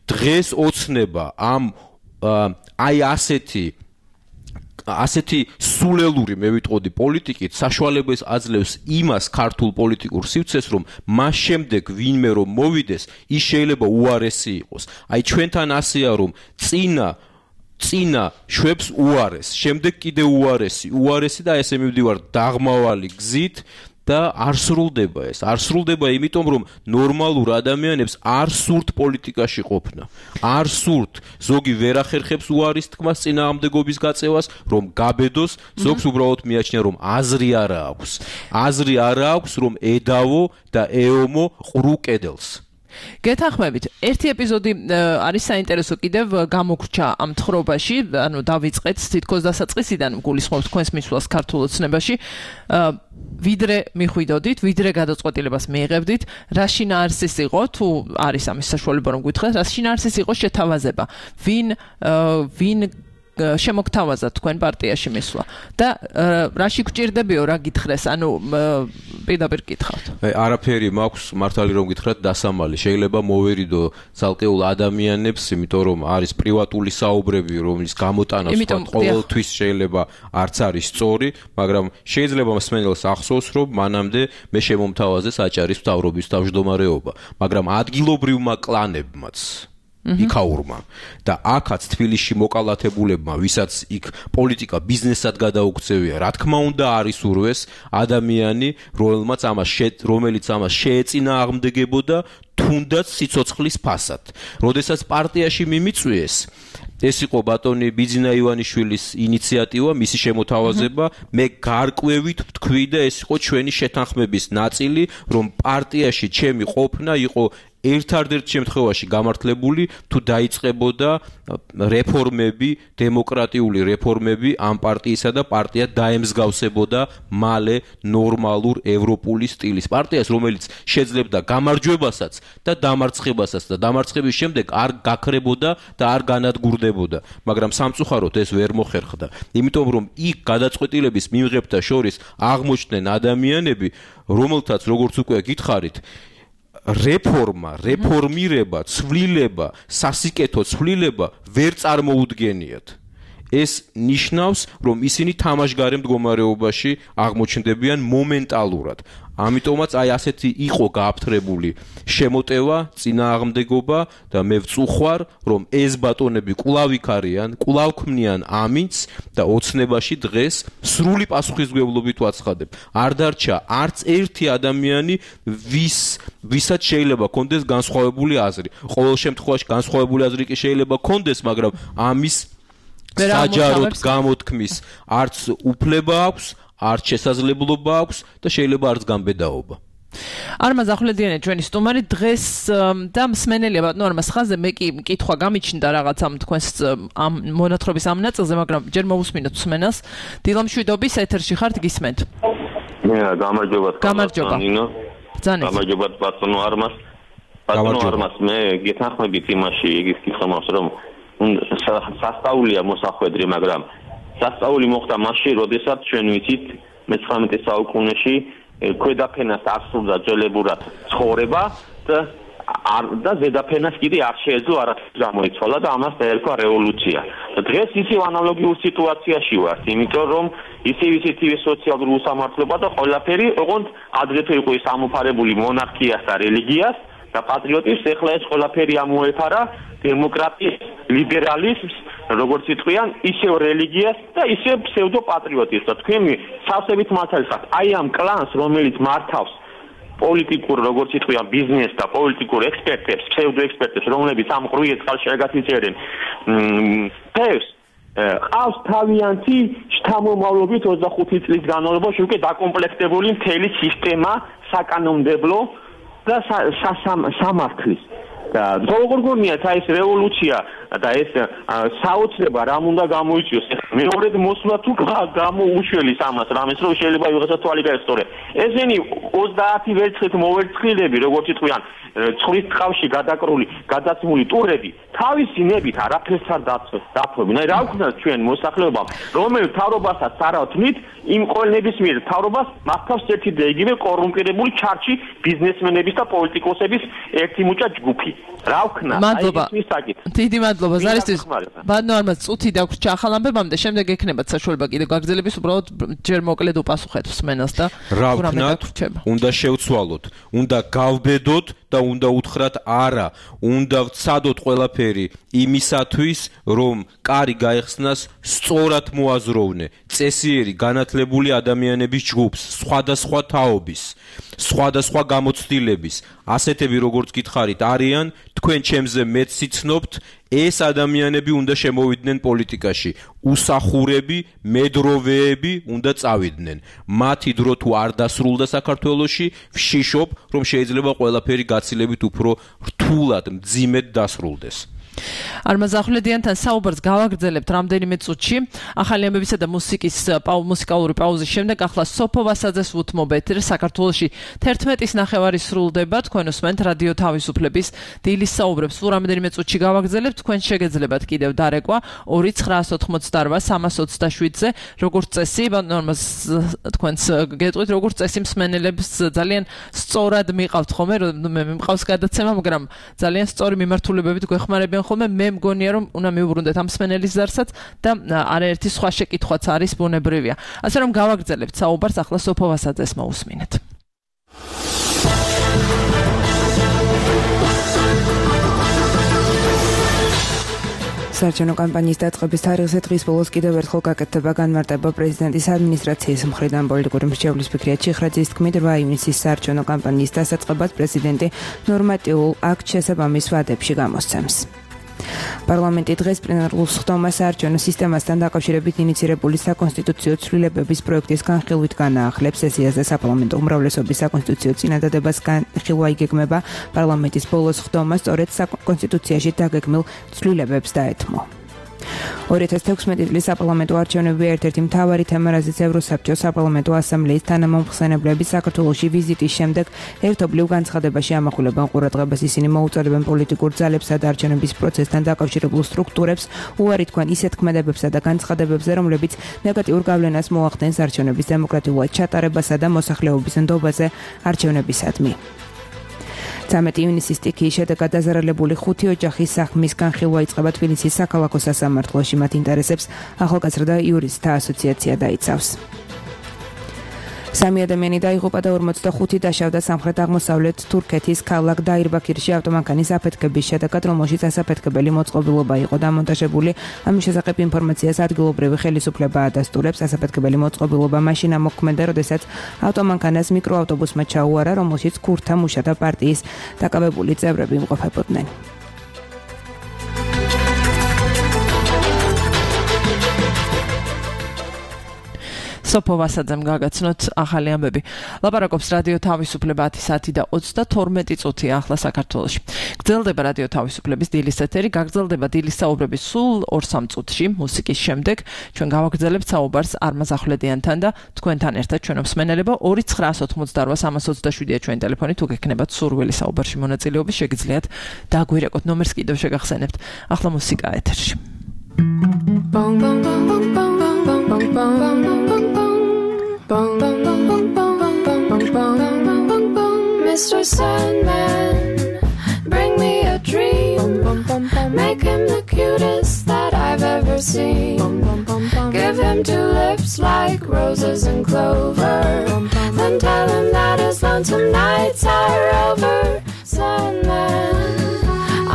დღეს ოცნება ამ აი ასეთი ასეთი სულელური მე ვიტყოდი პოლიტიკით საშუალებას აძლევს იმას ქართულ პოლიტიკურ სივრცეს რომ მას შემდეგ ვინმე რომ მოვიდეს ის შეიძლება უარესი იყოს. აი ჩვენთან ასეა რომ წინა წინა შვებს უარეს, შემდეგ კიდე უარესი, უარესი და ესე მივდივარ დაღმავალი გზით და არ სრულდება ეს. არ სრულდება იმიტომ რომ ნორმალურ ადამიანებს არ სურთ პოლიტიკაში ყოფნა. არ სურთ ზოგი ვერ ახერხებს უარის თქმას წინააღმდეგობის გაწევას, რომ გაბედოს, ზოგს უბრალოდ მიაჩნია რომ აზრი არ აქვს. აზრი არ აქვს რომ ედავო და ეომო ყრუ კედელს. გეთანხმებით, ერთი ეპიზოდი არის საინტერესო კიდევ გამოგრჩა ამ თხრობაში, ანუ დავიწყეთ თითქოს დასაწყისიდან გულისხმობთ თქვენს მისვლას ქართულ ოცნებაში. ვიდრე მიხვიდოდით, ვიდრე გადაწყვეტილებას მიიღებდით, რა შინაარსის იყო, თუ არის ამის საშუალება რომ გითხრათ, რა შინაარსის იყო შეთავაზება, ვინ ვინ შემოგთავაზა თქვენ პარტიაში მისვლა და რაში გჭირდებიო რა გითხრეს, ანუ პირდაპირ გითხავთ. არაფერი მაქვს მართალი რომ გითხრათ დასამალი, შეიძლება მოვერიდო ცალკეულ ადამიანებს, იმიტომ რომ არის პრივატული საუბრები, რომლის გამოტანა ყოველთვის შეიძლება არც არის სწორი, მაგრამ შეიძლება მსმენელს ახსოვს, რომ მანამდე მე შემომთავაზე საჭარის მთავრობის თავმჯდომარეობა, მაგრამ ადგილობრივმა კლანებმაც იქაურმა და აქაც თბილისში მოკალათებულებმა, ვისაც იქ პოლიტიკა ბიზნესად გადაუქცევია, რა თქმა უნდა არის ურვეს ადამიანი, რომელმაც ამას რომელიც ამას შეეწინააღმდეგებოდა თუნდაც სიცოცხლის ფასად. როდესაც პარტიაში მიმიწვიეს, ეს იყო ბატონი ბიძინა ივანიშვილის ინიციატივა, მისი შემოთავაზება, მე გარკვევით ვთქვი და ეს იყო ჩვენი შეთანხმების ნაწილი, რომ პარტიაში ჩემი ყოფნა იყო ერთ-ერთ შემთხვევაში გამართლებული, თუ დაიწყებოდა რეფორმები, დემოკრატიული რეფორმები ამ პარტიისა და პარტია დაემსგავსებოდა მალე ნორმალურ ევროპული სტილის პარტიას, რომელიც შეძლებდა გამარჯვებასაც და დამარცხებასაც და დამარცხების შემდეგ არ გაქრებოდა და არ განადგურდებოდა, მაგრამ სამწუხაროდ ეს ვერ მოხერხდა, იმიტომ რომ იქ გადაწყვეტილების მიმღებთა შორის აღმოჩნდნენ ადამიანები, რომელთაც როგორც უკვე გითხარით, რეფორმა, რეფორმირება, ცვლილება, სასიკეთო ცვლილება ვერ წარმოუდგენიათ. ეს ნიშნავს, რომ ისინი თამაშგარე მდგომარეობაში აღმოჩნდებიან მომენტალურად. ამიტომაც აი ასეთი იყო გააფთრებული შემოტევა, წინააღმდეგობა და მე ვწუხვარ, რომ ეს ბატონები კვლავ იქ არიან, კვლავ ქმნიან ამინდს და ოცნებაში დღეს სრული პასუხისმგებლობით ვაცხადებ. არ დარჩა არც ერთი ადამიანი, ვის ვისაც შეიძლება კონდეს განსხვავებული აზრი. ყოველ შემთხვევაში განსხვავებული აზრი კი შეიძლება კონდეს, მაგრამ ამის საჯაროდ გამოთქმის არც უფლება აქვს, არც შესაძლებლობა აქვს და შეიძლება არც გამბედაობა. არმაზ ახვლედიანი ჩვენი სტუმარი დღეს და მსმენელია ბატონო არმაზ ხაზე, მე კი კითხვა გამიჩნდა რაღაც ამ თქვენს ამ მონათხრობის ამ ნაწილზე, მაგრამ ჯერ მოусმინოთ მსმენელს. დილამშვიდობის ეთერში ხართ, გისმენთ. მე გამარჯობა. გამარჯობა. გამარჯობა ბატონო არმაზ. ბატონო არმაზ, მე გეთანხმებით იმაში იგის კითხავს, რომ სასწაულია მოსახვედრი, მაგრამ სასწაული მოხდა მაშინ, როდესაც ჩვენ ვიცით მეცხრამეტე საუკუნეში ქვედაფენას არ სურდა ძველებურად ცხოვრება და და ზედაფენას კიდე არ შეეძლო არაფერი გამოიცვალა და ამას დაერქვა რევოლუცია. დღეს ისევ ანალოგიურ სიტუაციაში ვართ, იმიტომ რომ ისევ ისეთი სოციალური უსამართლობა და ყველაფერი, ოღონდ ადრეთვე იყო ის ამოფარებული მონარქიას და რელიგიას და პატრიოტიზმს, ეხლა ეს ყველაფერი ამოეფარა დემოკრატიის, ლიბერალიზმს, როგორც იტყვიან, ისევ რელიგიას და ისევ ფსევდოპატრიოტიზმს. და თქვენ სავსებით მართალი ხართ. აი ამ კლანს, რომელიც მართავს პოლიტიკურ, როგორც იტყვიან, ბიზნესს და პოლიტიკურ ექსპერტებს, ფსევდოექსპერტებს, რომლებიც ამ ყრუიერ წყალში აგათიწერენ თევს, ყავს თავიანთი შთამომავლობით ოცდახუთი წლის განმავლობაში უკვე დაკომპლექტებული მთელი სისტემა საკანონმდებლო და სამართლის. და როგორ გონიათ აი ეს რევოლუცია და ეს საოცრება რამ უნდა გამოიწვიოს? მეორედ მოსვლა თუ გამოუშველის ამას რამეს, რომ შეიძლება ვიღაცა თვალი გაესწორე. ესენი ოცდაათი ვერცხლით მოვერცხლილები, როგორც იტყვიან, ცხრის წყალში გადაკრული, გადაცმული ტურები, თავისი ნებით არაფერს არ დათმობენ. აი რა ვქნათ ჩვენ მოსახლეობამ, რომელ თავრობასაც არ ავთმით, იმ ყოველნების მიერ თავრობას მართავს ერთი და იგივე კორუმპირებული ჩარჩი ბიზნესმენების და პოლიტიკოსების ერთი მუჭა ჯგუფი. რა ვქნა? მადლობა. დიდი მადლობა ზარისთვის. ბატონო არმაზ, წუთი დაგვრჩა ახალ ამბებამდე, შემდეგ ექნებათ საშუალება კიდე გაგრძელების, უბრალოდ ჯერ მოკლედ უპასუხეთ მსმენელს და რა ვქნათ? უნდა შევცვალოთ, უნდა გავბედოთ და უნდა უთხრათ არა, უნდა ვცადოთ ყველაფერი იმისათვის, რომ კარი გაეხსნას სწორად მოაზროვნე წესიერი განათლებული ადამიანების ჯგუფს, სხვადასხვა თაობის, სხვადასხვა გამოცდილების, ასეთები როგორც გითხარით არიან, თქვენ ჩემზე მეც სიცნობთ, ეს ადამიანები უნდა შემოვიდნენ პოლიტიკაში. უსახურები, მედროვეები უნდა წავიდნენ. მათი დრო თუ არ დასრულდა საქართველოში, ვშიშობ, რომ შეიძლება ყველაფერი გაცილებით უფრო რთულად, მძიმედ დასრულდეს. Armaz Ahmedიანთან საუბარს გავაგრძელებთ რამდენიმე წუთში. ახალი ამბებისა და მუსიკის მუსიკალური პაუზის შემდეგ ახლა სოფო ვასაძეს უთმობ ეთერს. საქართველოში თერთმეტის ნახევარი სრულდება. თქვენ უსმენთ რადიო თავისუფლების დილის საუბრებს. სულ რამდენიმე წუთში გავაგრძელებთ. თქვენ შეგეძლებათ კიდევ დარეკვა ორი ცხრაას ოთხმოცდარბა სამას ოცდაშვიდზე. როგორც წესი, ნორმას თქვენს გეტყვით, როგორც წესი მსმენელებს ძალიან სწორად მიყავთ ხოლმე, მე მყავს გადაცემა, მაგრამ ძალიან სწორი მიმართულებებით გვეხმარებიან ხოლმე. მე მგონია რომ უნდა მიუბრუნდეთ ამ მსმენელის ზარსაც და არაერთი სხვა შეკითხვაც არის ბუნებრივია. ასე რომ გავაგრძელებთ საუბარს ახლა სოფო ვასაძეს მოусმინეთ. საარჩევნო კამპანიის დაწყების თარიღზე დღის ბოლოს კიდევ ერთხელ გაკეთდება განმარტება პრეზიდენტის ადმინისტრაციის მხრიდან. პოლიტიკური მრჩევლის ფიქრია ჩიხრაძის თქმით, რვა ივნისის საარჩევნო კამპანიის დასაწყებად პრეზიდენტი ნორმატიულ აქტ შესაბამის ვადებში გამოსცემს. პარლამენტი დღეს პლენარულ სხდომას საარჩევნო სისტემასთან დაკავშირებით ინიცირებული საკონსტიტუციო ცვლილებების პროექტის განხილვით განაახლებს სესიაზე საპარლამენტო უმრავლესობის საკონსტიტუციო წინადადებას განხილვა იგეგმება პარლამენტის ბოლოს სხდომას სწორედ საკონსტიტუციაში დაგეგმილ ცვლილებებს დაეთმო. ორი ათას თექვსმეტი წლის საპარლამენტო არჩევნები ერთ-ერთი მთავარი თემა, რაზეც ევროსაბჭოს საპარლამენტო ასამბლეის თანამომხსენებლები საქართველოში ვიზიტის შემდეგ ერთობლივ განცხადებაში ამახვილებენ ყურადღებას. ისინი მოუწოდებენ პოლიტიკურ ძალებსა და არჩევნების პროცესთან დაკავშირებულ სტრუქტურებს უარი თქვენ ისეთ ქმედებებსა და განცხადებებზე, რომლებიც ნეგატიურ გავლენას მოახდენს არჩევნების დემოკრატიულად ჩატარებასა და მოსახლეობის ნდობაზე არჩევნებისადმი. ცამეტი ივნისის სტიქიის შედეგად დაზარალებული ხუთი ოჯახის საქმის განხილვა იწყება თბილისის საქალაქო სასამართლოში. მათ ინტერესებს ახალგაზრდა იურისტთა ასოციაცია დაიცავს. სამი ადამიანი დაიღუპა და ორმოცდახუთი დაშავდა სამხრეთ-აღმოსავლეთ თურქეთის ქალაქ დაირბაქირში ავტომანქანის აფეთქების შედეგად, რომელშიც ასაფეთქებელი მოწყობილობა იყო დამონტაჟებული. ამის შესახებ ინფორმაციას ადგილობრივი ხელისუფლება ადასტურებს. ასაფეთქებელი მოწყობილობა მაშინ ამოქმედა, როდესაც ავტომანქანას მიკროავტობუსმა ჩაუარა, რომელშიც ქურთა მუშათა პარტიის დაკავებული წევრები იმყოფებოდნენ. სოფო ვასაძემ გაგაცნოთ ახალი ამბები. ლაპარაკობს რადიო თავისუფლება ათი საათი და ოცდათორმეტი წუთია ახლა საქართველოში. გრძელდება რადიო თავისუფლების დილის ეთერი, გაგრძელდება დილის საუბრები სულ ორ სამ წუთში მუსიკის შემდეგ. ჩვენ გავაგრძელებთ საუბარს არმაზ ახვლედიანთან და თქვენთან ერთად ჩვენ მსმენელებო ორი ცხრაას ოთხმოცდარბა სამას ოცდაშვიდია ჩვენი ტელეფონი. თუ გექნებათ სურვილი საუბარში მონაწილეობის, შეგიძლიათ დაგვირეკოთ. ნომერს კიდევ შეგახსენებთ. ახლა მუსიკა ეთერში. Bong bong bong bong bong bong bong bong bong bong bong bong bong bong bong bong. Mister Sandman, bring me a dream. Make him the cutest that I've ever seen. Give him two lips like roses and clover. Then tell him that his lonesome nights are over. Sandman,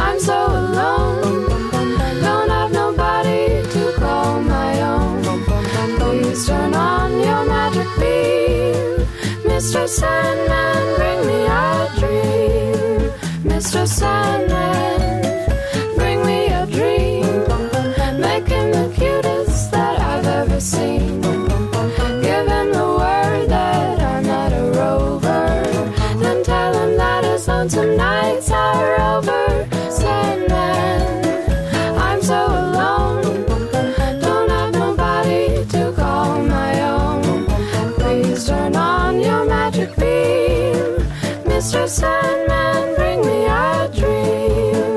I'm so alone. Don't have nobody to call my own. Please turn on your magic beam. Mister Sandman, bring me a dream. Mister Sandman, bring me a dream. Make him the cutest that I've ever seen. Give him the word that I'm not a rover. Then tell him that his lonesome nights are over. Sandman, I'm so alone. Don't have nobody to call my own. Please turn on your magic beam. Mister Sandman, bring me a dream.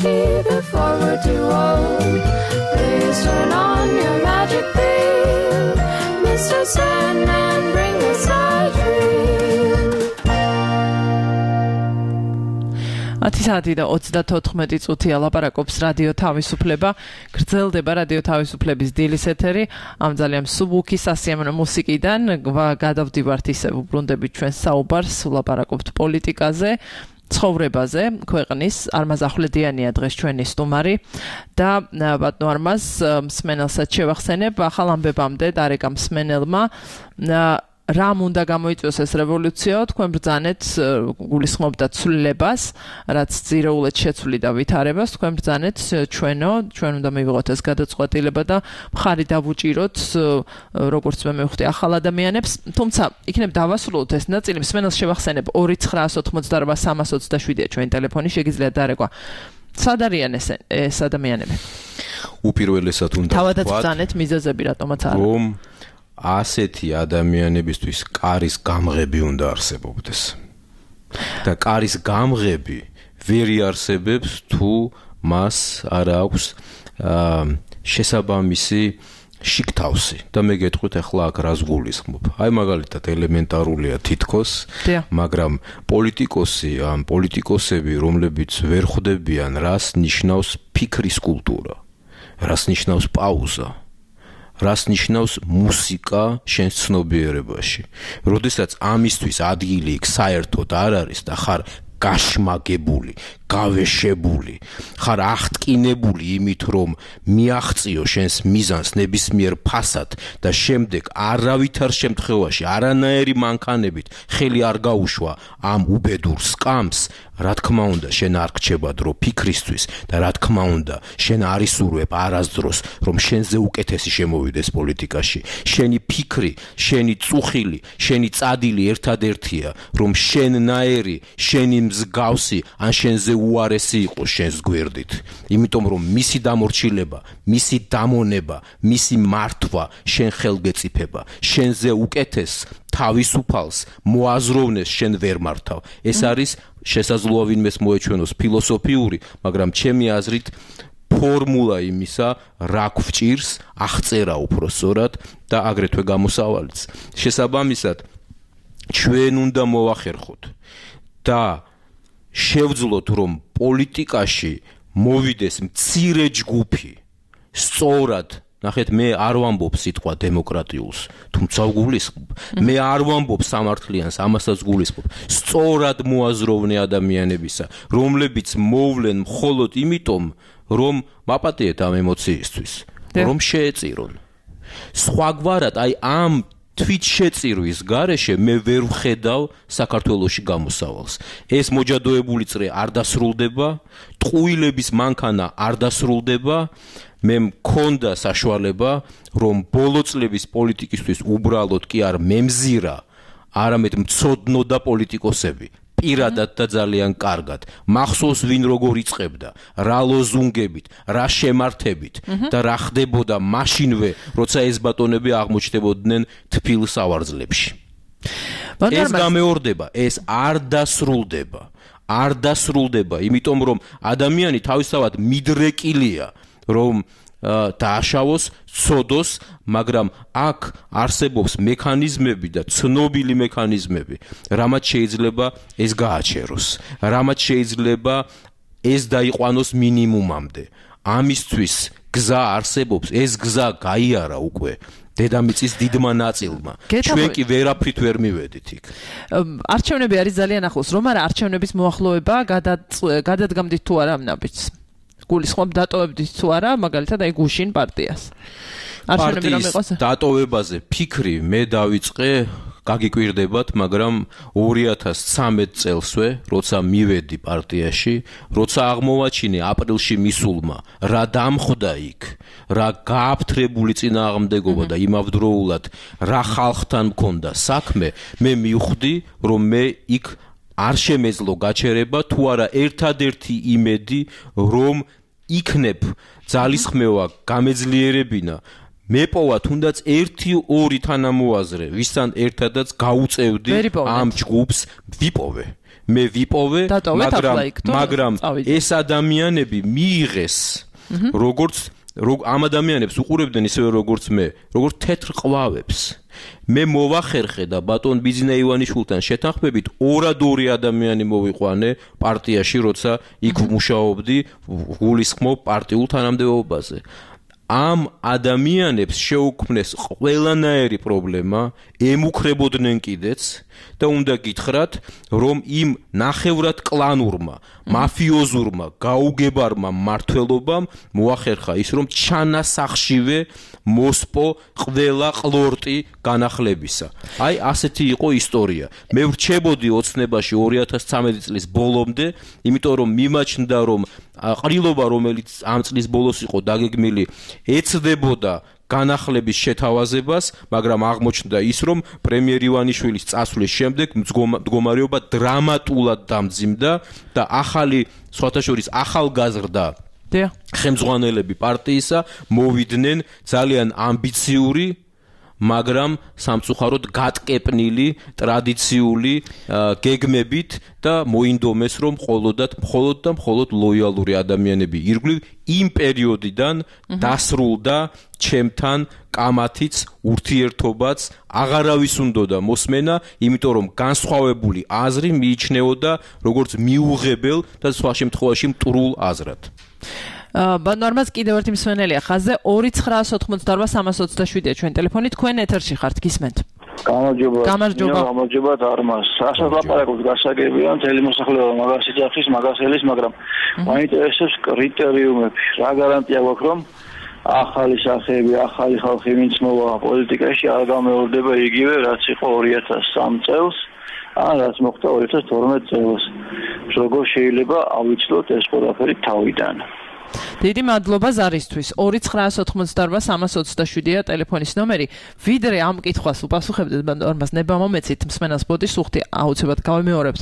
energy before we're too old. Please turn on your magic beam, Mister Sandman, bring us a dream. ათი საათი და ოცდათოთხმეტი წუთია ლაპარაკობს რადიო თავისუფლება. გრძელდება რადიო თავისუფლების დილის ეთერი. ამ ძალიან მსუბუქი სასიამოვნო მუსიკიდან გადავდივართ ისევ უბრუნდებით ჩვენ საუბარს, ვლაპარაკობთ პოლიტიკაზე, ცხოვრებაზე. ქვეყნის არმაზ ახვლედიანია დღეს ჩვენი სტუმარი და ბატონო არმაზ მსმენელსაც შევახსენებ ახალ ამბებამდე დარეკა მსმენელმა რამ უნდა გამოიწვიოს ეს რევოლუცია, თქვენ ბრძანეთ გულისხმობდათ ცვლილებას, რაც ძირეულად შეცვლი და ვითარებას, თქვენ ბრძანეთ ჩვენო, ჩვენ უნდა მივიღოთ ეს გადაწყვეტილება და მხარი დავუჭიროთ, როგორც მე მივხვდი, ახალ ადამიანებს, თუმცა იქნებ დავასრულოთ ეს ნაწილი, მსმენელს შევახსენებ ორი ცხრაას ოცდაოთხმოცდაარბა სამას ოცდაშვიდია ჩვენი ტელეფონი, შეგიძლიათ დარეკვა. სად არიან ეს ეს ადამიანები? უპირველესად უნდა თავადაც ბრძანეთ მიზეზები რატომაც არა. რომ ასეთი ადამიანებისთვის კარის გამღები უნდა არსებობდეს. და კარის გამღები ვერ იარსებებს თუ მას არ აქვს შესაბამისი შიგთავსი. და მე გეტყვით ახლა აქ რას გულისხმობ. აი მაგალითად ელემენტარულია თითქოს, მაგრამ პოლიტიკოსი ან პოლიტიკოსები, რომლებიც ვერ ხვდებიან, რას ნიშნავს ფიქრის კულტურა, რას ნიშნავს პაუზა, რას ნიშნავს მუსიკა შენს ცნობიერებაში. როდესაც ამისთვის ადგილი იქ საერთოდ არ არის და ხარ გაშმაგებული, გავეშებული, ხარ აღტკინებული იმით, რომ მიაღწიო შენს მიზანს ნებისმიერ ფასად და შემდეგ არავითარ შემთხვევაში არანაირი მანქანებით ხელი არ გაუშვა ამ უბედურ სკამს, რა თქმა უნდა, შენ არ გრჩება დრო ფიქრისთვის და რა თქმა უნდა, შენ არ ისურვებ არასდროს, რომ შენზე უკეთესი შემოვიდეს პოლიტიკაში. შენი ფიქრი, შენი წუხილი, შენი წადილი ერთადერთია, რომ შენნაირი, შენი მსგავსი ან შენზე უარესი იყოს შენს გვერდით. იმიტომ რომ მისი დამორჩილება, მისი დამონება, მისი მართვა შენ ხელგეწიფება. შენზე უკეთეს თავისუფალს მოაზროვნეს შენ ვერ მართავ. ეს არის შესაძლოა ვინმეს მოეჩვენოს ფილოსოფიური, მაგრამ ჩემი აზრით ფორმულა იმისა, რა გვჭირს, აღწერა უფრო სწორად და აგრეთვე გამოსავალიც. შესაბამისად, ჩვენ უნდა მოვახერხოთ და შევძლოთ, რომ პოლიტიკაში მოვიდეს მცირე ჯგუფი, სწორად, ნახეთ, მე არ ვამბობ სიტყვა დემოკრატიულს, თუმცა გულისხმობ. მე არ ვამბობ სამართლიანს, ამასაც გულისხმობ. სწორად მოაზროვნე ადამიანებისა, რომლებიც მოვლენ მხოლოდ იმიტომ, რომ მაპატიეთ ამ ემოციისთვის, რომ შეეწირონ. სხვაგვარად, აი ამ თვით შეწირვის გარეშე მე ვერ ვხედავ საქართველოში გამოსავალს. ეს მოჯადოებული წრე არ დასრულდება, ტყუილების მანქანა არ დასრულდება. მე მქონდა საშუალება, რომ ბოლო წლების პოლიტიკისთვის უბრალოდ კი არ მემზირა, არამედ მცოდნოდა პოლიტიკოსები. პირადად და ძალიან კარგად. მახსოვს ვინ როგორ იწყებდა, რა ლოზუნგებით, რა შემართებით და რა ხდებოდა მაშინვე, როცა ეს ბატონები აღმოჩნდებოდნენ თბილ სავარძლებში. ეს გამეორდება, ეს არ დასრულდება. არ დასრულდება, იმიტომ რომ ადამიანი თავისთავად მიდრეკილია, რომ დააშავოს, ცოდოს, მაგრამ აქ არსებობს მექანიზმები და ცნობილი მექანიზმები, რამაც შეიძლება ეს გააჩეროს, რამაც შეიძლება ეს დაიყვანოს მინიმუმამდე. ამისთვის გზა არსებობს, ეს გზა გაიარა უკვე დედამიწის დიდმა ნაწილმა. ჩვენ კი ვერაფრით ვერ მივედით იქ. არჩევნები არის ძალიან ახლოს, რომ არა არჩევნების მოახლოება გადადგამდით თუ არა ამ ნაბიჯს? გულისხმობ დატოვებდით თუ არა, მაგალითად აი გუშინ პარტიას. არჩევნები რომ იყოს დატოვებაზე ფიქრი მე დავიწყე, გაგიკვირდებათ, მაგრამ ორი ათას ცხრამეტ წელსვე, როცა მივედი პარტიაში, როცა აღმოვაჩინე აპრილში მისულმა, რა დამხვდა იქ, რა გააფთრებული წინააღმდეგობა და იმავდროულად რა ხალხთან მქონდა საქმე, მე მივხვდი, რომ მე იქ არ შემეძლო გაჩერება, თუ არა ერთადერთი იმედი, რომ იქნებ ძალისხმევა გამეძლიერებინა, მეპოვა თუნდაც ერთი ორი თანამოაზრე, ვისთან ერთადაც გაუწევდი ამ ჯგუფს, ვიპოვე. მე ვიპოვე, მაგრამ მაგრამ ეს ადამიანები მიიღეს როგორც ამ ადამიანებს უყურებდნენ ისევე როგორც მე, როგორც თეთრ ყვავებს. მე მოვახერხე და ბატონ ბიძინა ივანიშვილთან შეთანხმებით ორად ორი ადამიანი მოვიყვანე პარტიაში, როცა იქ მუშაობდი გულისხმობ პარტიულ თანამდებობაზე. ამ ადამიანებს შეუქმნეს ყველანაირი პრობლემა, ემუქრებოდნენ კიდეც და უნდა გითხრათ, რომ იმ ნახევრად კლანურმა, მაფიოზურმა, გაუგებარმა მმართველობამ მოახერხა ის, რომ ჩანასახშივე მოსპო ყველა ყლორტი განახლებისა. აი, ასეთი იყო ისტორია. მე ვრჩებოდი ოცნებაში ორი ათას ცხრამეტი წლის ბოლომდე, იმიტომ რომ მიმაჩნდა, რომ ყრილობა, რომელიც ამ წლის ბოლოს იყო დაგეგმილი, ეცდებოდა განახლების შეთავაზებას, მაგრამ აღმოჩნდა ის, რომ პრემიერ ივანიშვილის წასვლის შემდეგ მდგომარეობა დრამატულად დამძიმდა და ახალი, სხვათა შორის ახალგაზრდა ხელმძღვანელები პარტიისა მოვიდნენ ძალიან ამბიციური, მაგრამ სამწუხაროდ გატკეპნილი ტრადიციული გეგმებით და მოინდომეს, რომ მხოლოდად მხოლოდ და მხოლოდ ლოიალური ადამიანები ირგვლივ იმ პერიოდიდან დასრულდა ჩემთან კამათიც, ურთიერთობაც, აღარავის უნდოდა მოსმენა, იმიტომ რომ განსხვავებული აზრი მიიჩნეოდა როგორც მიუღებელ და სხვა შემთხვევაში მტრულ აზრად. ბანორმას კიდევ ერთი მსმენელია ხაზზე ორი ცხრაას ოთხმოცდაორვა სამას ოცდაშვიდია ჩვენ ტელეფონით, თქვენ ეთერში ხართ, გისმენთ. გამარჯობა. გამარჯობა. გამარჯობა არმას. რასაც ლაპარაკობთ გასაგებია, მთელი მოსახლეობა მაგას იძახის, მაგას ელის, მაგრამ მაინტერესებს კრიტერიუმები. რა გარანტია გვაქვს, რომ ახალი სახეები, ახალი ხალხი ვინც მოვა პოლიტიკაში არ გამეორდება იგივე, რაც იყო ორი ათას სამ წელს, ან რაც მოხდა ორი ათას თორმეტ წელს. როგორ შეიძლება ავიცლოთ ეს ყველაფერი თავიდან? დიდი მადლობა ზარისთვის. ორი ცხრაას ოთხმოცდაორვა სამას ოცდაშვიდია ტელეფონის ნომერი. ვიდრე ამ კითხვას უპასუხებდეთ ბანდორმას ნება მომეცით, მსმენელს ბოდის სუხთი აუცილებლად გავიმეორებთ.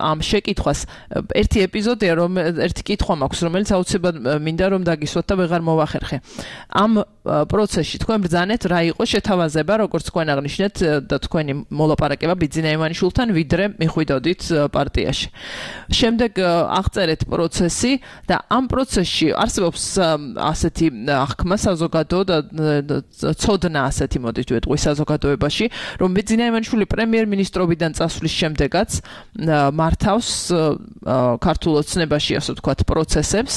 ამ შეკითხვას ერთი ეპიზოდია, რომ ერთი კითხვა მაქვს, რომელიც აუცილებლად მინდა რომ დაგისვათ და ვეღარ მოვახერხე. ამ პროცესში თქვენ ბრძანეთ რა იყო შეთავაზება, როგორც თქვენ აღნიშნეთ და თქვენი მოლაპარაკება ბიძინა ივანიშვილთან, ვიდრე მიხვიდოდით პარტიაში. შემდეგ აღწერეთ პროცესი და ამ პროცესში არსებობს ასეთი აღქმა საზოგადო და ცოდნა ასეთი მოდით ვეტყვი საზოგადოებაში, რომ ბიძინა ივანიშვილი პრემიერ-მინისტრობიდან წასვლის შემდეგაც მართავს ქართულ ოცნებაში, ასე ვთქვათ, პროცესებს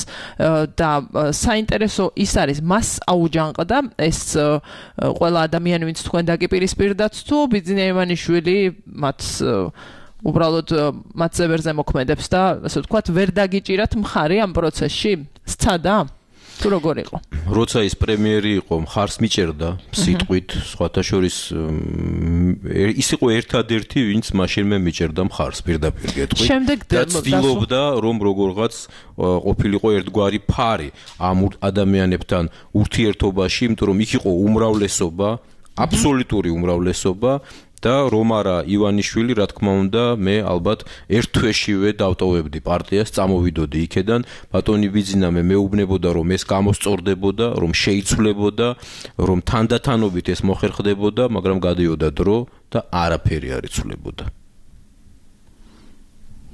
და საინტერესო ის არის, მას აუჯანყდა ეს ყველა ადამიანი, ვინც თქვენ დაგიპირისპირდათ, თუ ბიძინა ივანიშვილი მათ უბრალოდ მათ ზევერზე მოქმედებს და ასე ვთქვათ, ვერ დაგიჭირათ მხარი ამ პროცესში? სცადა? თუ როგორ იყო? როცა ის პრემიერი იყო, მხარს მიჭერდა სიტყვით, სხვათა შორის ის იყო ერთადერთი, ვინც მაშინმე მიჭერდა მხარს პირდაპირ გეტყვით. და ცდილობდა, რომ როგორღაც ყოფილიყო ერთგვარი ფარი ამ ადამიანებთან ურთიერთობაში, იმიტომ რომ იქ იყო უმრავლესობა, აბსოლუტური უმრავლესობა. და რომ არა ივანიშვილი, რა თქმა უნდა, მე ალბათ ერთ თვეშივე დავტოვებდი პარტიას, წამოვიდოდი იქედან, ბატონი ბიძინა მე მეუბნებოდა, რომ ეს გამოსწორდებოდა, რომ შეიცვლებოდა, რომ თანდათანობით ეს მოხერხდებოდა, მაგრამ გადიოდა დრო და არაფერი არ იცვლებოდა.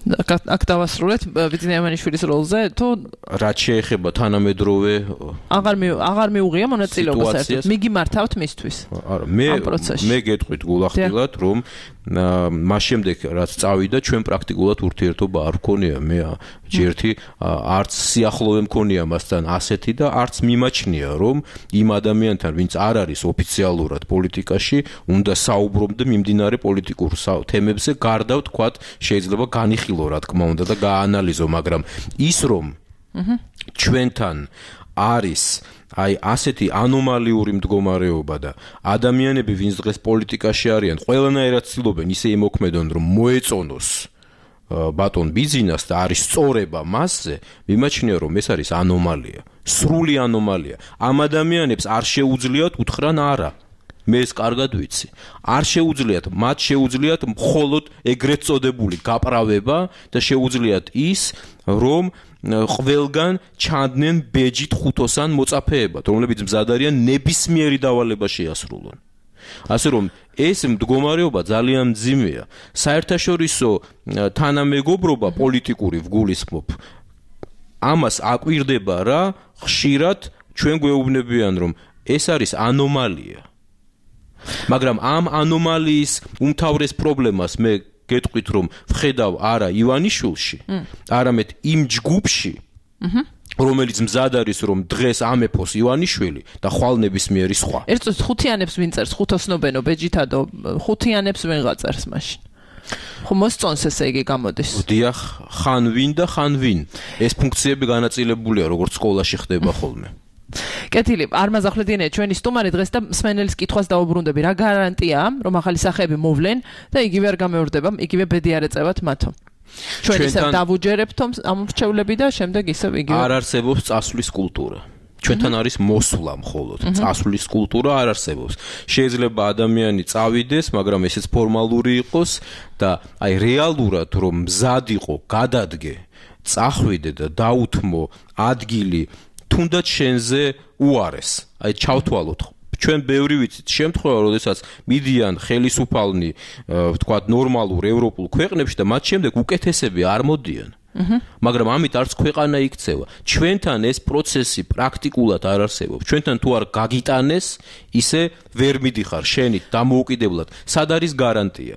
აქ დავასრულეთ ბიძინა ივანიშვილის როლზე, თუ რაც შეეხება თანამედროვე აღარ აღარ მიუღია მონაწილეობა საერთოდ. მიგიმართავთ მისთვის? არა, მე მე გეტყვით გულახდილად, რომ მას შემდეგ რაც წავიდა, ჩვენ პრაქტიკულად ურთიერთობა არ ვქონია. მე ჯერთი არც სიახლოვე მქონია მასთან ასეთი და არც მიმაჩნია, რომ იმ ადამიანთან, ვინც არ არის ოფიციალურად პოლიტიკაში, უნდა საუბრობდე მიმდინარე პოლიტიკურ თემებზე, გარდა ვთქვათ, შეიძლება განიხილო, რა თქმა უნდა და გააანალიზო, მაგრამ ის რომ ჩვენთან არის აი ასეთი ანომალიური მდგომარეობა და ადამიანები, ვინც დღეს პოლიტიკაში არიან, ყველანაირად ცდილობენ ისე იმოქმედონ, რომ მოეწონოს ბატონ ბიძინას და არის სწორება მასზე, მიმაჩნია, რომ ეს არის ანომალია, სრული ანომალია. ამ ადამიანებს არ შეუძლიათ უთხრან არა. მე ეს კარგად ვიცი. არ შეუძლიათ, მათ შეუძლიათ მხოლოდ ეგრეთ წოდებული გაправება და შეუძლიათ ის, რომ ყველგან ჩანდნენ ბეჯით ხუთოსან მოწაფეებად, რომლებიც მზად არიან ნებისმიერი დავალება შეასრულონ. ასე რომ ეს მდგომარეობა ძალიან მძიმეა. საერთაშორისო თანამეგობრობა პოლიტიკური ვგულისხმობ ამას აკვირდება რა ხშირად ჩვენ გვეუბნებიან რომ ეს არის ანომალია. მაგრამ ამ ანომალიის უმთავრეს პრობლემას მე გეტყვით რომ ვხედავ არა ივანიშვილში, არამედ იმ ჯგუფში, რომელიც მზად არის რომ დღეს ამეფოს ივანიშვილი და ხვალ ნებისმიერი სხვა. ერთ წუთს ხუთიანებს ვინ წერს, ხუთოსნობენო ბეჯითადო, ხუთიანებს ვინ გაწერს მაშინ. ხო მოსწონს ესე იგი გამოდის. დიახ, ხან ვინ და ხან ვინ. ეს ფუნქციები განაწილებულია როგორც სკოლაში ხდება ხოლმე. კეთილი, არმაზ ახვლედიანია ჩვენი სტუმარი დღეს და მსმენელის კითხვას დაუბრუნდები. რა გარანტია, რომ ახალი სახეები მოვლენ და იგივე არ გამეორდება, იგივე ბედი არ ეწევათ მათო? ჩვენ ისევ დავუჯერებთ ამ მრჩევლები და შემდეგ ისევ იგივე. არ არსებობს წასვლის კულტურა. ჩვენთან არის მოსვლა მხოლოდ. წასვლის კულტურა არ არსებობს. შეიძლება ადამიანი წავიდეს, მაგრამ ესეც ფორმალური იყოს და აი რეალურად რომ მზად იყო, გადადგე, წახვიდე და დაუთმო ადგილი თუნდაც შენზე უარეს. აი ჩავთვალოთ. ჩვენ ბევრი ვიცით შემთხვევა, როდესაც მიდიან ხელისუფალნი, ვთქვათ, ნორმალურ ევროპულ ქვეყნებში და მათ შემდეგ უკეთესები არ მოდიან. მაგრამ ამით არც ქვეყანა იქცევა. ჩვენთან ეს პროცესი პრაქტიკულად არ არსებობს. ჩვენთან თუ არ გაგიტანეს, ისე ვერ მიდიხარ შენით დამოუკიდებლად. სად არის გარანტია?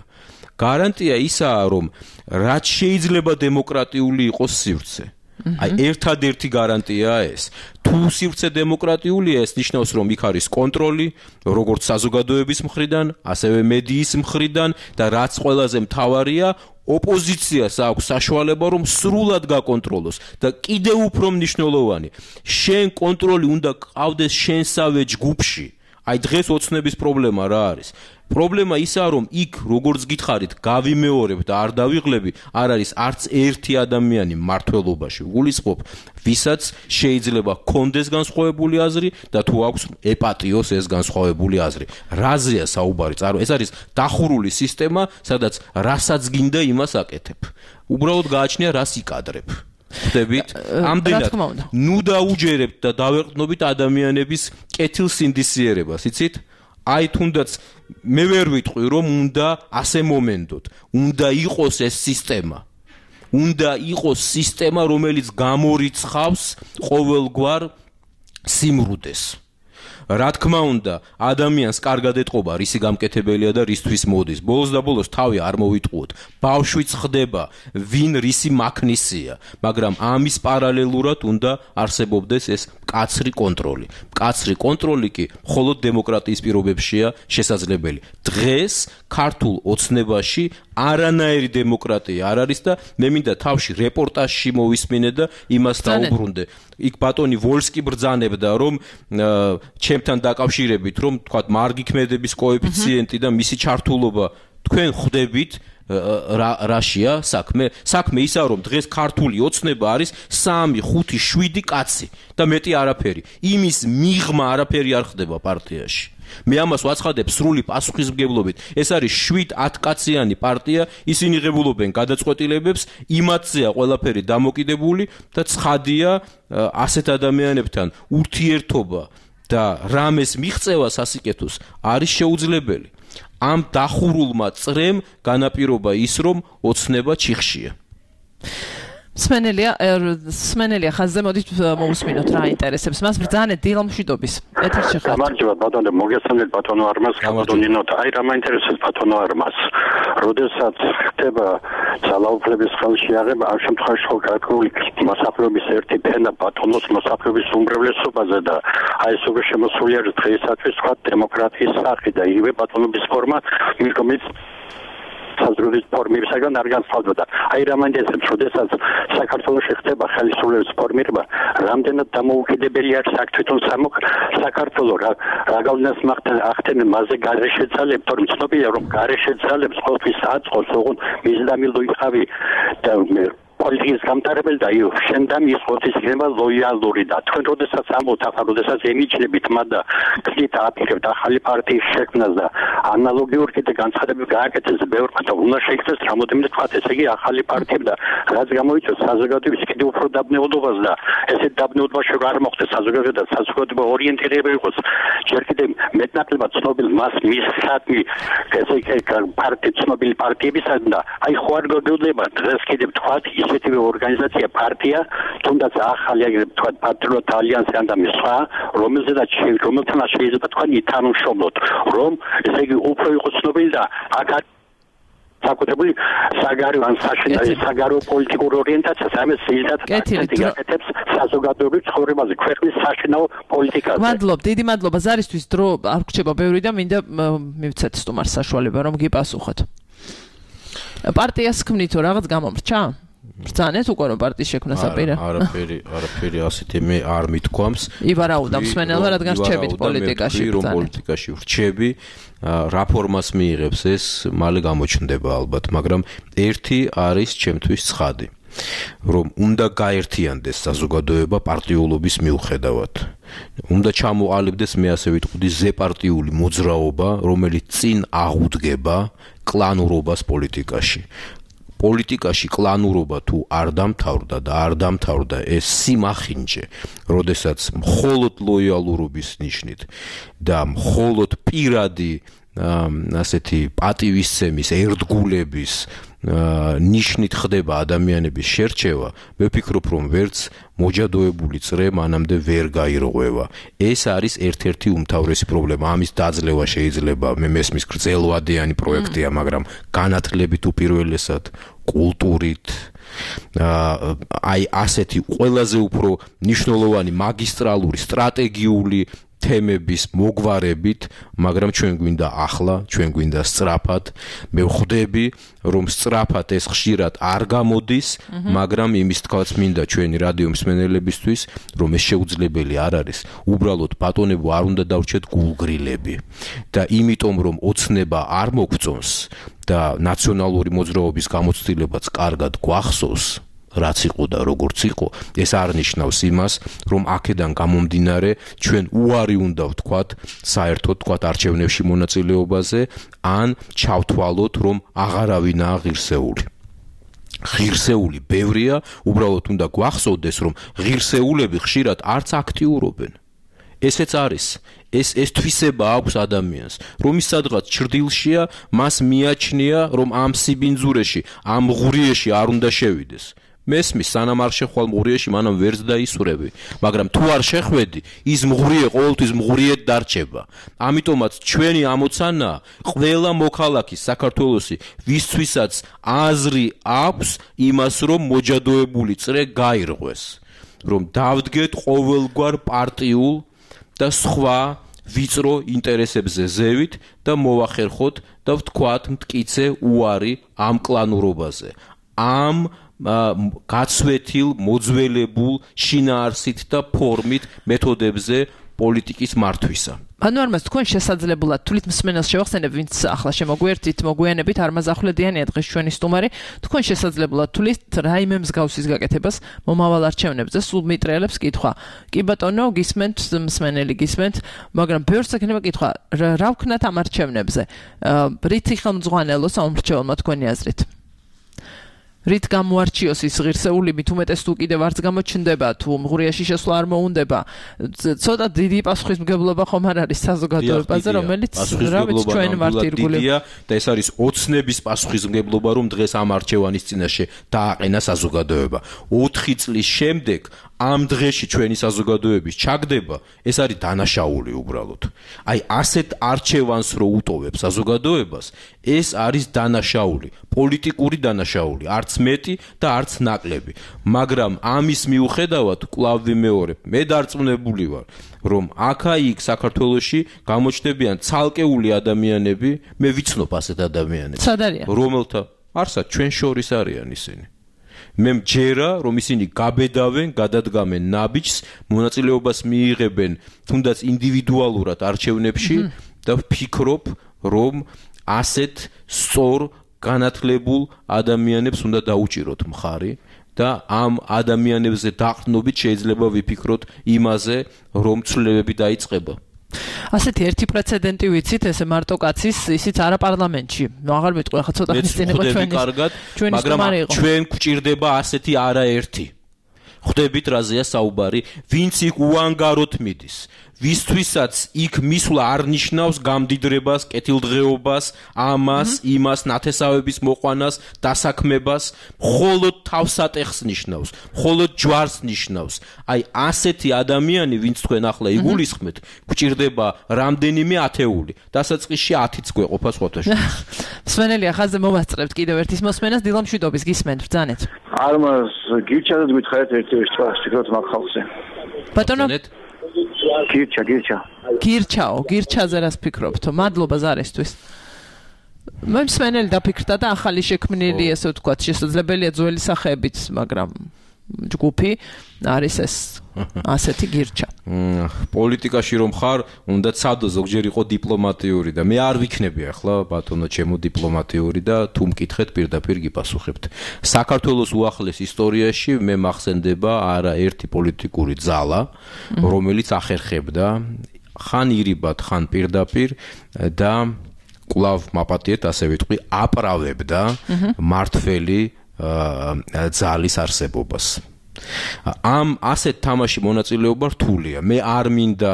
გარანტია ისაა, რომ რაც შეიძლება დემოკრატიული იყოს სივრცე. აი ერთადერთი გარანტიაა ეს. თუ სივრცე დემოკრატიულია, ეს ნიშნავს, რომ იქ არის კონტროლი, როგორც საზოგადოების მხრიდან, ასევე მედიის მხრიდან და რაც ყველაზე მთავარია, ოპოზიციას აქვს საშუალება, რომ სრულად გაკონტროლოს და კიდევ უფრო მნიშვნელოვანი, შენ კონტროლი უნდა ყავდეს შენსავე ჯგუფში. აი დღეს ოცნების პრობლემა რა არის? პრობლემა ისაა, რომ იქ როგორც გითხარით, გავიმეორებ და არ დავიღლები, არ არის არც ერთი ადამიანი მმართველობაში. ვგულისხმობ, ვისაც შეიძლება კონდეს განსხვავებული აზრი და თუ აქვს ეპატიოს ეს განსხვავებული აზრი. რაზეა საუბარი? წარო, ეს არის დახურული სისტემა, სადაც რასაც გინდა იმას აკეთებ. უბრალოდ გააჩნია რას იკადრებ. ხდებით? ამდენად ნუ დაუჯერებთ და დავეყრდნობით ადამიანების კეთილსინდისიერებას, იცით? აი თუნდაც მე ვერ ვიტყვი რომ უნდა ასე მომენტოთ. უნდა იყოს ეს სისტემა. უნდა იყოს სისტემა, რომელიც გამორიცხავს ყოველგვარ სიმრუდეს. რა თქმა უნდა, ადამიანს კარგად ეტყობა, რისი გამკეთებელია და რისთვის მოდის. ბოლოს და ბოლოს თავი არ მოვიტყუოთ. ბავშვიც ხდება, ვინ რისი მაქნისია, მაგრამ ამის პარალელურად უნდა არსებობდეს ეს მკაცრი კონტროლი. მკაცრი კონტროლი კი მხოლოდ დემოკრატიის პირობებშია შესაძლებელი. დღეს ქართულ ოცნებაში არანაირი დემოკრატია არ არის და მე მინდა თავში რეპორტაჟში მოვისმინე და იმას დაუბრუნდე. იქ ბატონი ვოლსკი ბრძანებდა, რომ ჩემთან დაკავშირებით, რომ თქვათ მარგი ქმედების კოეფიციენტი და მისი ჩართულობა თქვენ ხვდებით რაშია საქმე? საქმე ისაა, რომ დღეს ქართული ოცნება არის სამი, ხუთი, შვიდი კაცი და მეტი არაფერი. იმის მიღმა არაფერი არ ხდება პარტიაში. მე ამას ვაცხადებ სრული პასუხისმგებლობით. ეს არის შვიდ ათ კაციანი პარტია, ისინი ღებულობენ გადაწყვეტილებებს, იმათზეა ყველაფერი დამოკიდებული და ცხადია ასეთ ადამიანებთან ურთიერთობა და რამეს მიღწევა სასიკეთოს არის შეუძლებელი. ამ დახურულმა წრემ განაპირობა ის, რომ ოცნება ჩიხშია. სმენელია, სმენელია ხაზზე მოდით მოусმინოთ რა ინტერესებს. მას ბრძანეთ დილამშვიდობის. ეთერში ხართ. გამარჯობა ბატონო, მოგესალმებით ბატონო არმას, ბატონინოთ. აი რა მაინტერესებს ბატონო არმას. როდესაც ხდება ძალაუფლების ხელშეაღება, ამ შემთხვევაში ხო კრაკული მოსახლეობის ერთი ფენა ბატონოს მოსახლეობის უმრავლესობაზე და აი ეს უკვე შემოსულია დღეისათვის სხვა დემოკრატიის სახე და იგივე ბატონობის ფორმა მიკომიც საზრურის ფორმირებისაგან არ განსხვავდება. აი რა მაინტერესებს, როდესაც საქართველოში ხდება ხელისუფლების ფორმირება, რამდენად დამოუკიდებელი არის აქ თვითონ საქართველო რა რა გავლენას ახდენენ მასზე გარეშე ძალებს, თორემ ცნობილია რომ გარეშე ძალებს ყოველთვის აწყობს, ოღონდ მიზდამილო იყავი და პოლიტიკის გამტარებელი და შენდამ ის ხოთის იქნება ლოიალური და თქვენ როდესაც ამბობთ ახლა როდესაც ემიჯნებით მადა გზით აფიქრებთ ახალი პარტიის შექმნას და ანალოგიურ კიდე განცხადებები გააკეთეს ბევრმა და უნდა შეიქცეს რამოდენიმე თქვათ ესე იგი ახალი პარტიები და რაც გამოიწვევს საზოგადოების კიდევ უფრო დაბნეულობას და ესეთ დაბნეულობაში არ მოხდეს საზოგადოება და საზოგადოება ორიენტირება იყოს ჯერ კიდევ მეტნაკლებად ცნობილ მას მისცადმი ესე იგი პარტი ცნობილი პარტიებისგან და აი ხო არ გაგეუძლება დღეს კიდევ თქვათ ისეთივე ორგანიზაცია პარტია თუნდაც ახალი აგრეთ თქვათ პატრიოტ ალიანსი ან და სხვა რომელზედაც რომელთანაც შეიძლება თქვენ ითანამშრომლოთ რომ ესე იგი უფრო იყოს ცნობილი და აქ საკუთრებული საგარეო ან საგარეო პოლიტიკურ ორიენტაციას ამას შეიძლება აკეთებს საზოგადოების ცხოვრებაზე ქვეყნის საშინაო პოლიტიკაზე. მადლობ, დიდი მადლობა ზარისთვის დრო არ გრჩება ბევრი და მინდა მივცეთ სტუმარს საშუალება რომ გიპასუხოთ. პარტიას ქმნით თუ რაღაც გამომრჩა? ბრძანეთ უკვე რომ პარტიის შექმნას აპირა? არაფერი, არაფერი ასეთი მე არ მithქვამს. იბარაუდა მსმენელმა რადგან რჩებით პოლიტიკაში. რომ პოლიტიკაში ვრჩები, რა ფორმას მიიღებს ეს მალე გამოჩნდება ალბათ, მაგრამ ერთი არის ჩემთვის ცხადი. რომ უნდა გაერთიანდეს საზოგადოება პარტიულობის მიუხედავად. უნდა ჩამოყალიბდეს მე ასე ვიტყვი ზეპარტიული მოძრაობა, რომელიც წინ აღუდგება კლანურობას პოლიტიკაში. პოლიტიკაში კლანურობა თუ არ დამთავრდა და არ დამთავრდა ეს სიმახინჯე, როდესაც მხოლოდ ლოიალურობის ნიშნით და მხოლოდ პირადი ასეთი პატივისცემის, ერთგულების ნიშნით ხდება ადამიანების შერჩევა, მე ვფიქრობ, რომ ვერც მოჯადოებული წრე მანამდე ვერ გაირღვევა. ეს არის ერთ-ერთი უმთავრესი პრობლემა. ამის დაძლევა შეიძლება მე მესმის გრძელვადიანი პროექტია, მაგრამ განათლებით უპირველესად, კულტურით, აი ასეთი ყველაზე უფრო მნიშვნელოვანი მაგისტრალური, სტრატეგიული თემების მოგვარებით, მაგრამ ჩვენ გვინდა ახლა, ჩვენ გვინდა სწრაფად. მე ვხვდები, რომ სწრაფად ეს ხშირად არ გამოდის, მაგრამ იმის თქვაც მინდა ჩვენი რადიო მსმენელებისთვის, რომ ეს შეუძლებელი არ არის. უბრალოდ ბატონებო არ უნდა დავრჩეთ გულგრილები და იმიტომ რომ ოცნება არ მოგწონს და ნაციონალური მოძრაობის გამოცდილებაც კარგად გვახსოვს, რაც იყო და როგორც იყო, ეს არ ნიშნავს იმას, რომ აქედან გამომდინარე ჩვენ უარი უნდა ვთქვათ საერთოდ ვთქვათ არჩევნებში მონაწილეობაზე, ან ჩავთვალოთ, რომ აღარავინაა ღირსეული. ღირსეული ბევრია, უბრალოდ უნდა გვახსოვდეს, რომ ღირსეულები ხშირად არც აქტიურობენ. ესეც არის, ეს ეს თვისება აქვს ადამიანს, რომ ის სადღაც ჭრდილშია, მას მიაჩნია, რომ ამ სიბინძურეში, ამ ღურიეში არ უნდა შევიდეს. მესმის სანამ არ შეხვალ მღურიეში, მანამ ვერც დაისურები, მაგრამ თუ არ შეხვედი, ის მღურიე ყოველთვის მღურიედ დარჩება. ამიტომაც ჩვენი ამოცანა ყველა მოქალაქის საქართველოსი, ვისთვისაც აზრი აქვს იმას, რომ მოჯადოებული წრე გაირღვეს, რომ დავდგეთ ყოველგვარ პარტიულ და სხვა ვიწრო ინტერესებზე ზევით და მოვახერხოთ და ვთქვათ მტკიცე უარი ამ კლანურობაზე. ამ გაცვეთილ, მოძველებულ შინაარსით და ფორმით მეთოდებზე პოლიტიკის მართვისა. ანუ არ მას თქვენ შესაძლებულად თulit მსმენელს შევახსენებ, ვინც ახლა შემოგვერთით, მოგვიანებით არმაზ ახვლედიანია დღეს ჩვენი სტუმარი, თქვენ შესაძლებულად თulit რაიმე მსგავსის გაკეთებას მომავალ არჩევნებზე სულ მიტრიალებს კითხვა. კი ბატონო, გისმენთ მსმენელი გისმენთ, მაგრამ ბევრს ექნება კითხვა, რა ვქნათ ამ არჩევნებზე? რითი ხელმძღვანელო საომრჩეველმა თქვენი აზრით? რით გამოარჩიოს ის ღირსეული, მით უმეტეს თუ კიდევ არც გამოჩნდება, თუ მღურიაში შესვლა არ მოუნდება. ცოტა დიდი პასუხისმგებლობა ხომ არ არის საზოგადოებაზე, რომელიც რა ვიცი ჩვენ ვართ ირგვლივ. და ეს არის ოცნების პასუხისმგებლობა, რომ დღეს ამ არჩევანის წინაშე დააყენა საზოგადოება. ოთხი წლის შემდეგ ამ დღეში ჩვენი საზოგადოების ჩაგდება, ეს არის დანაშაული უბრალოდ. აი ასეთ არჩევანს რო უტოვებს საზოგადოებას, ეს არის დანაშაული, პოლიტიკური დანაშაული, არც მეტი და არც ნაკლები. მაგრამ ამის მიუხედავად კვლავ ვიმეორებ, მე დარწმუნებული ვარ, რომ აქა-იქ საქართველოში გამოჩნდებიან ცალკეული ადამიანები, მე ვიცნობ ასეთ ადამიანებს, რომელთა არსად ჩვენ შორის არიან ისინი. მე მჯერა, რომ ისინი გაბედავენ, გადადგამენ ნაბიჯს, მონაწილეობას მიიღებენ თუნდაც ინდივიდუალურად არჩევნებში და ვფიქრობ, რომ ასეთ სწორ განათლებულ ადამიანებს უნდა დაუჭიროთ მხარი და ამ ადამიანებზე დაყრდნობით შეიძლება ვიფიქროთ იმაზე, რომ ცვლილებები დაიწყება. ასეთი ერთი პრეცედენტი ვიცით, ესე მარტო კაცის, ისიც არა პარლამენტში. აღარ მეტყვი, ახლა ცოტა ხნის წინ იყო ჩვენი. მაგრამ ჩვენ გვჭირდება ასეთი არაერთი. ხვდებით რაზეა საუბარი, ვინც იქ უანგაროდ მიდის. ვისთვისაც იქ მისვლა არ ნიშნავს გამდიდრებას, კეთილდღეობას, ამას, იმას, ნათესავების მოყვანას, დასაქმებას, მხოლოდ თავსატეხს ნიშნავს, მხოლოდ ჯვარს ნიშნავს. აი ასეთი ადამიანი, ვინც თქვენ ახლა იგულისხმეთ, გვჭირდება რამდენიმე ათეული. დასაწყისში ათიც გვეყოფა სხვათა შორის. მსმენელი ახალზე მოვასწრებთ კიდევ ერთის მოსმენას, დილამშვიდობის გისმენთ, ბრძანეთ. არმას გირჩადეთ გითხარით ერთი ვიშტვას, ფიქრობთ მაგ ხალხზე. ბატონო გირჩა, გირჩა. გირჩაო, გირჩაზე რას ფიქრობთო? მადლობა ზარისთვის. მე მსმენელი დაფიქრდა და ახალი შექმნილი, ესე ვთქვათ, შესაძლებელია ძველი სახეებით, მაგრამ ჯგუფი არის ეს ასეთი გირჩა. პოლიტიკაში რომ ხარ, უნდა ცადო ზოგჯერ იყო დიპლომატიური და მე არ ვიქნები ახლა ბატონო ჩემო დიპლომატიური და თუ მკითხეთ პირდაპირ გიპასუხებთ. საქართველოს უახლეს ისტორიაში მე მახსენდება არა ერთი პოლიტიკური ძალა, რომელიც ახერხებდა ხან ირიბად, ხან პირდაპირ და კვლავ მაპატიეთ ასე ვიტყვი, აპრავებდა მართველი ძალის არსებობას. ამ ასეთ თამაში მონაწილეობა რთულია. მე არ მინდა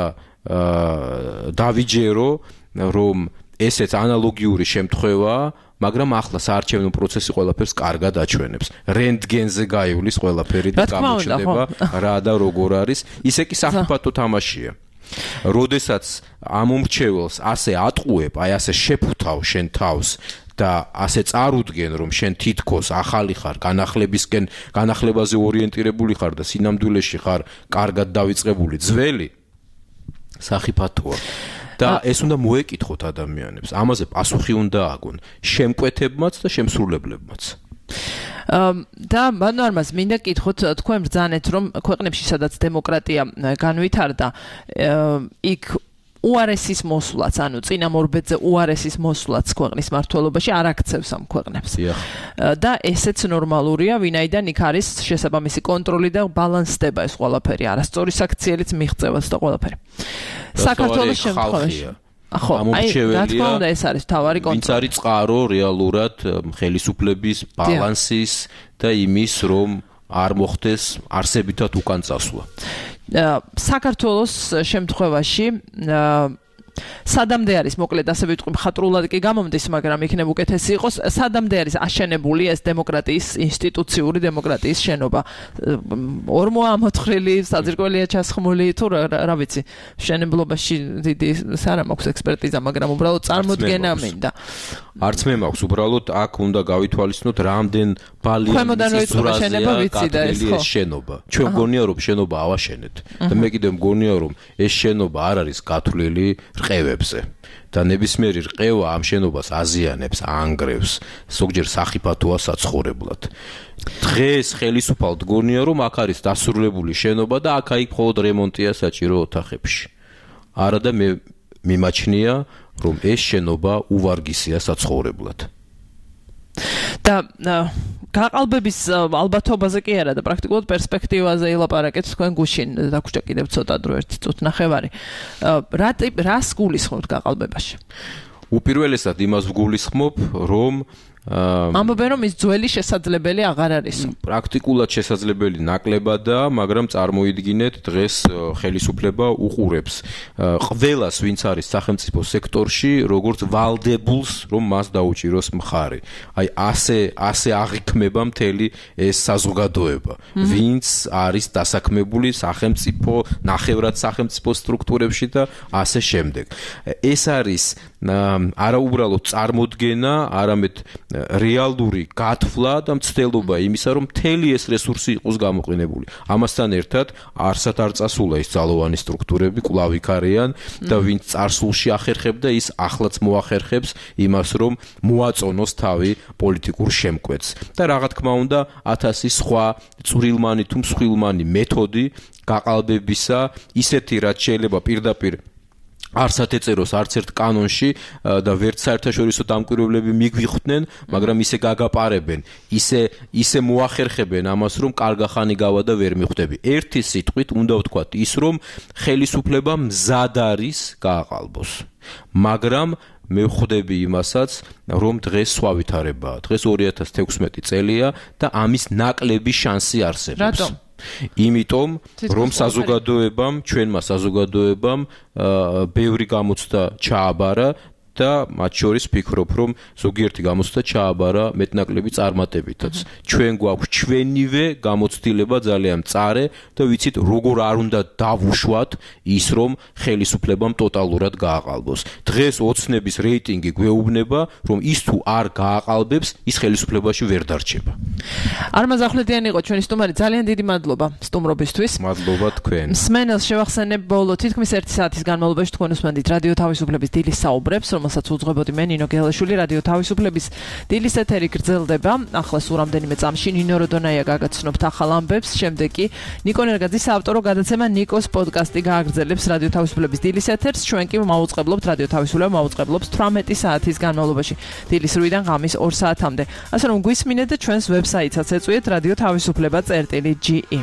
დავიჯერო, რომ ესეც ანალოგიური შემთხვევაა, მაგრამ ახლა საარჩევნო პროცესი ყველაფერს კარგად აჩვენებს. რენტგენზე გაივლის ყველაფერი და გამოჩნდება რა და როგორ არის. ისე კი საფათო თამაშია. როდესაც ამ უმრჩეველს ასე ატყუებ, აი ასე შეფუთავ შენ თავს და ასე წარუდგენ, რომ შენ თითქოს ახალი ხარ, განახლებისკენ, განახლებაზე ორიენტირებული ხარ და სინამდვილეში ხარ კარგად დავიწყებული ძველი, სახიფათოა. და ეს უნდა მოეკითხოთ ადამიანებს. ამაზე პასუხი უნდა აგონ შემკვეთებმაც და შემსრულებლებმაც. და მანორმას მინდა კითხოთ, თქვენ ბრძანეთ, რომ ქვეყნებში, სადაც დემოკრატია განვითარდა, იქ უარესის მოსვლაც, ანუ წინა მორბედზე უარესის მოსვლაც ქვეყნის მართლობაში არ აქცევს ამ ქვეყნებს. და ესეც ნორმალურია, ვინაიდან იქ არის შესაბამისი კონტროლი და ბალანსდება ეს ყველაფერი, არასწორი საქციელიც მიღწევაც და ყველაფერი. საქართველოს შემთხვევაში ხო, აი, რა თქმა უნდა, ეს არის თავარი კონტროლი. ვინც არის წყარო რეალურად ხელისუფლების ბალანსის და იმის, რომ არ მოხდეს არსებითად უკან წასვლა. საქართველოს შემთხვევაში სადამდე არის, მოკლედ ასე ვიტყვი, მხატვრულად კი გამომდის, მაგრამ იქნებ უკეთესი იყოს, სადამდე არის აშენებული ეს დემოკრატიის ინსტიტუციური დემოკრატიის შენობა. ორმოა ამოთხრილი, საძირკველია ჩასხმული, თუ რა ვიცი, შენებლობაში დიდი არა მაქვს ექსპერტიზა, მაგრამ უბრალოდ წარმოდგენა მინდა. არც მე მაქვს, უბრალოდ აქ უნდა გავითვალისწინოთ, რამდენ ბალიანის ზურაზეა გათვლილი ეს შენობა. ჩვენ გონია რომ შენობა ავაშენეთ და მე კიდევ მგონია რომ ეს შენობა არ არის გათვლილი რყევებზე და ნებისმიერი რყევა ამ შენობას აზიანებს, ანგრევს, ზოგჯერ სახიფათოა საცხოვრებლად. დღეს ხელისუფალ გონია რომ აქ არის დასრულებული შენობა და აქ-აიქ მხოლოდ რემონტია საჭირო ოთახებში. არა და მე მიმაჩნია რომ ეს შენობა უვარგისია საცხოვრებლად. და გაყალბების ალბათობაზე კი არა და პრაქტიკულად პერსპექტივაზე ილაპარაკეთ თქვენ გუშინ, დაგვრჩა კიდევ ცოტა დრო ერთი წუთ ნახევარი. რა რას გულისხმობთ გაყალბებაში? უპირველესად იმას ვგულისხმობ, რომ ამბობენ რომ ის ძველი შესაძლებელი აღარ არის. პრაქტიკულად შესაძლებელი ნაკლებადაა, მაგრამ წარმოიდგინეთ დღეს ხელისუფლება უყურებს ყველას, ვინც არის სახელმწიფო სექტორში, როგორც ვალდებულს, რომ მას დაუჭიროს მხარი. აი ასე ასე აღიქმება მთელი ეს საზოგადოება, ვინც არის დასაქმებული სახელმწიფო, ნახევრად სახელმწიფო სტრუქტურებში და ასე შემდეგ. ეს არის არა უბრალოდ წარმოდგენა, არამედ რეალური გათვლა და მცდელობა იმისა, რომ მთელი ეს რესურსი იყოს გამოყენებული. ამასთან ერთად არსად არ წასულა ის ძალოვანი სტრუქტურები, კვლავ იქ არიან და ვინც წარსულში ახერხებდა, ის ახლაც მოახერხებს იმას, რომ მოაწონოს თავი პოლიტიკურ შემკვეთს. და რა თქმა უნდა, ათასი სხვა წვრილმანი თუ მსხვილმანი მეთოდი გაყალბებისა, ისეთი რაც შეიძლება პირდაპირ არსად ეწეროს არც ერთ კანონში და ვერც საერთაშორისო დამკვირვებლები მიგვიხვდნენ, მაგრამ ისე გაგაპარებენ, ისე ისე მოახერხებენ ამას, რომ კარგახანი გავა და ვერ მიხვდები. ერთი სიტყვით უნდა ვთქვათ ის, რომ ხელისუფლება მზად არის გააყალბოს. მაგრამ მე ვხვდები იმასაც, რომ დღეს სხვა ვითარებაა. დღეს ორი ათას თექვსმეტი წელია და ამის ნაკლები შანსი არსებობს. რატომ? იმიტომ რომ საზოგადოებამ, ჩვენმა საზოგადოებამ ბევრი გამოცდა ჩააბარა და მათ შორის ვფიქრობ, რომ ზოგიერთი გამოცდა ჩააბარა მეტნაკლები წარმატებითაც. ჩვენ გვაქვს ჩვენივე გამოცდილება ძალიან მწარე და ვიცით როგორ არ უნდა დავუშვათ ის, რომ ხელისუფლებამ ტოტალურად გააყალბოს. დღეს ოცნების რეიტინგი გვეუბნება, რომ ის თუ არ გააყალბებს, ის ხელისუფლებაში ვერ დარჩება. არმაზ ახვლედიანი იყო ჩვენი სტუმარი, ძალიან დიდი მადლობა სტუმრობისთვის. მადლობა თქვენ. მსმენელს შევახსენებ ბოლო თითქმის ერთი საათის განმავლობაში თქვენ უსმენთ რადიო თავისუფლების დილის საუბრებს, რომელსაც უძღვებოდი მე ნინო გელაშვილი. რადიო თავისუფლების დილის ეთერი გრძელდება. ახლა სულ რამდენიმე წამში ნინო როდონაია გაგაცნობთ ახალ ამბებს, შემდეგ კი ნიკო ნერგაძის საავტორო გადაცემა ნიკოს პოდკასტი გააგრძელებს რადიო თავისუფლების დილის ეთერს. ჩვენ კი მოვუწყებლობთ რადიო თავისუფლება მოვუწყებლობს თვრამეტი საათის განმავლობაში დილის რვიდან ღამის ორ საათამდე. ასე რომ გვისმინეთ და ჩვენს ვებსაიტსაც ეწვიეთ რადიო თავისუფლება წერტილი ჯი ი.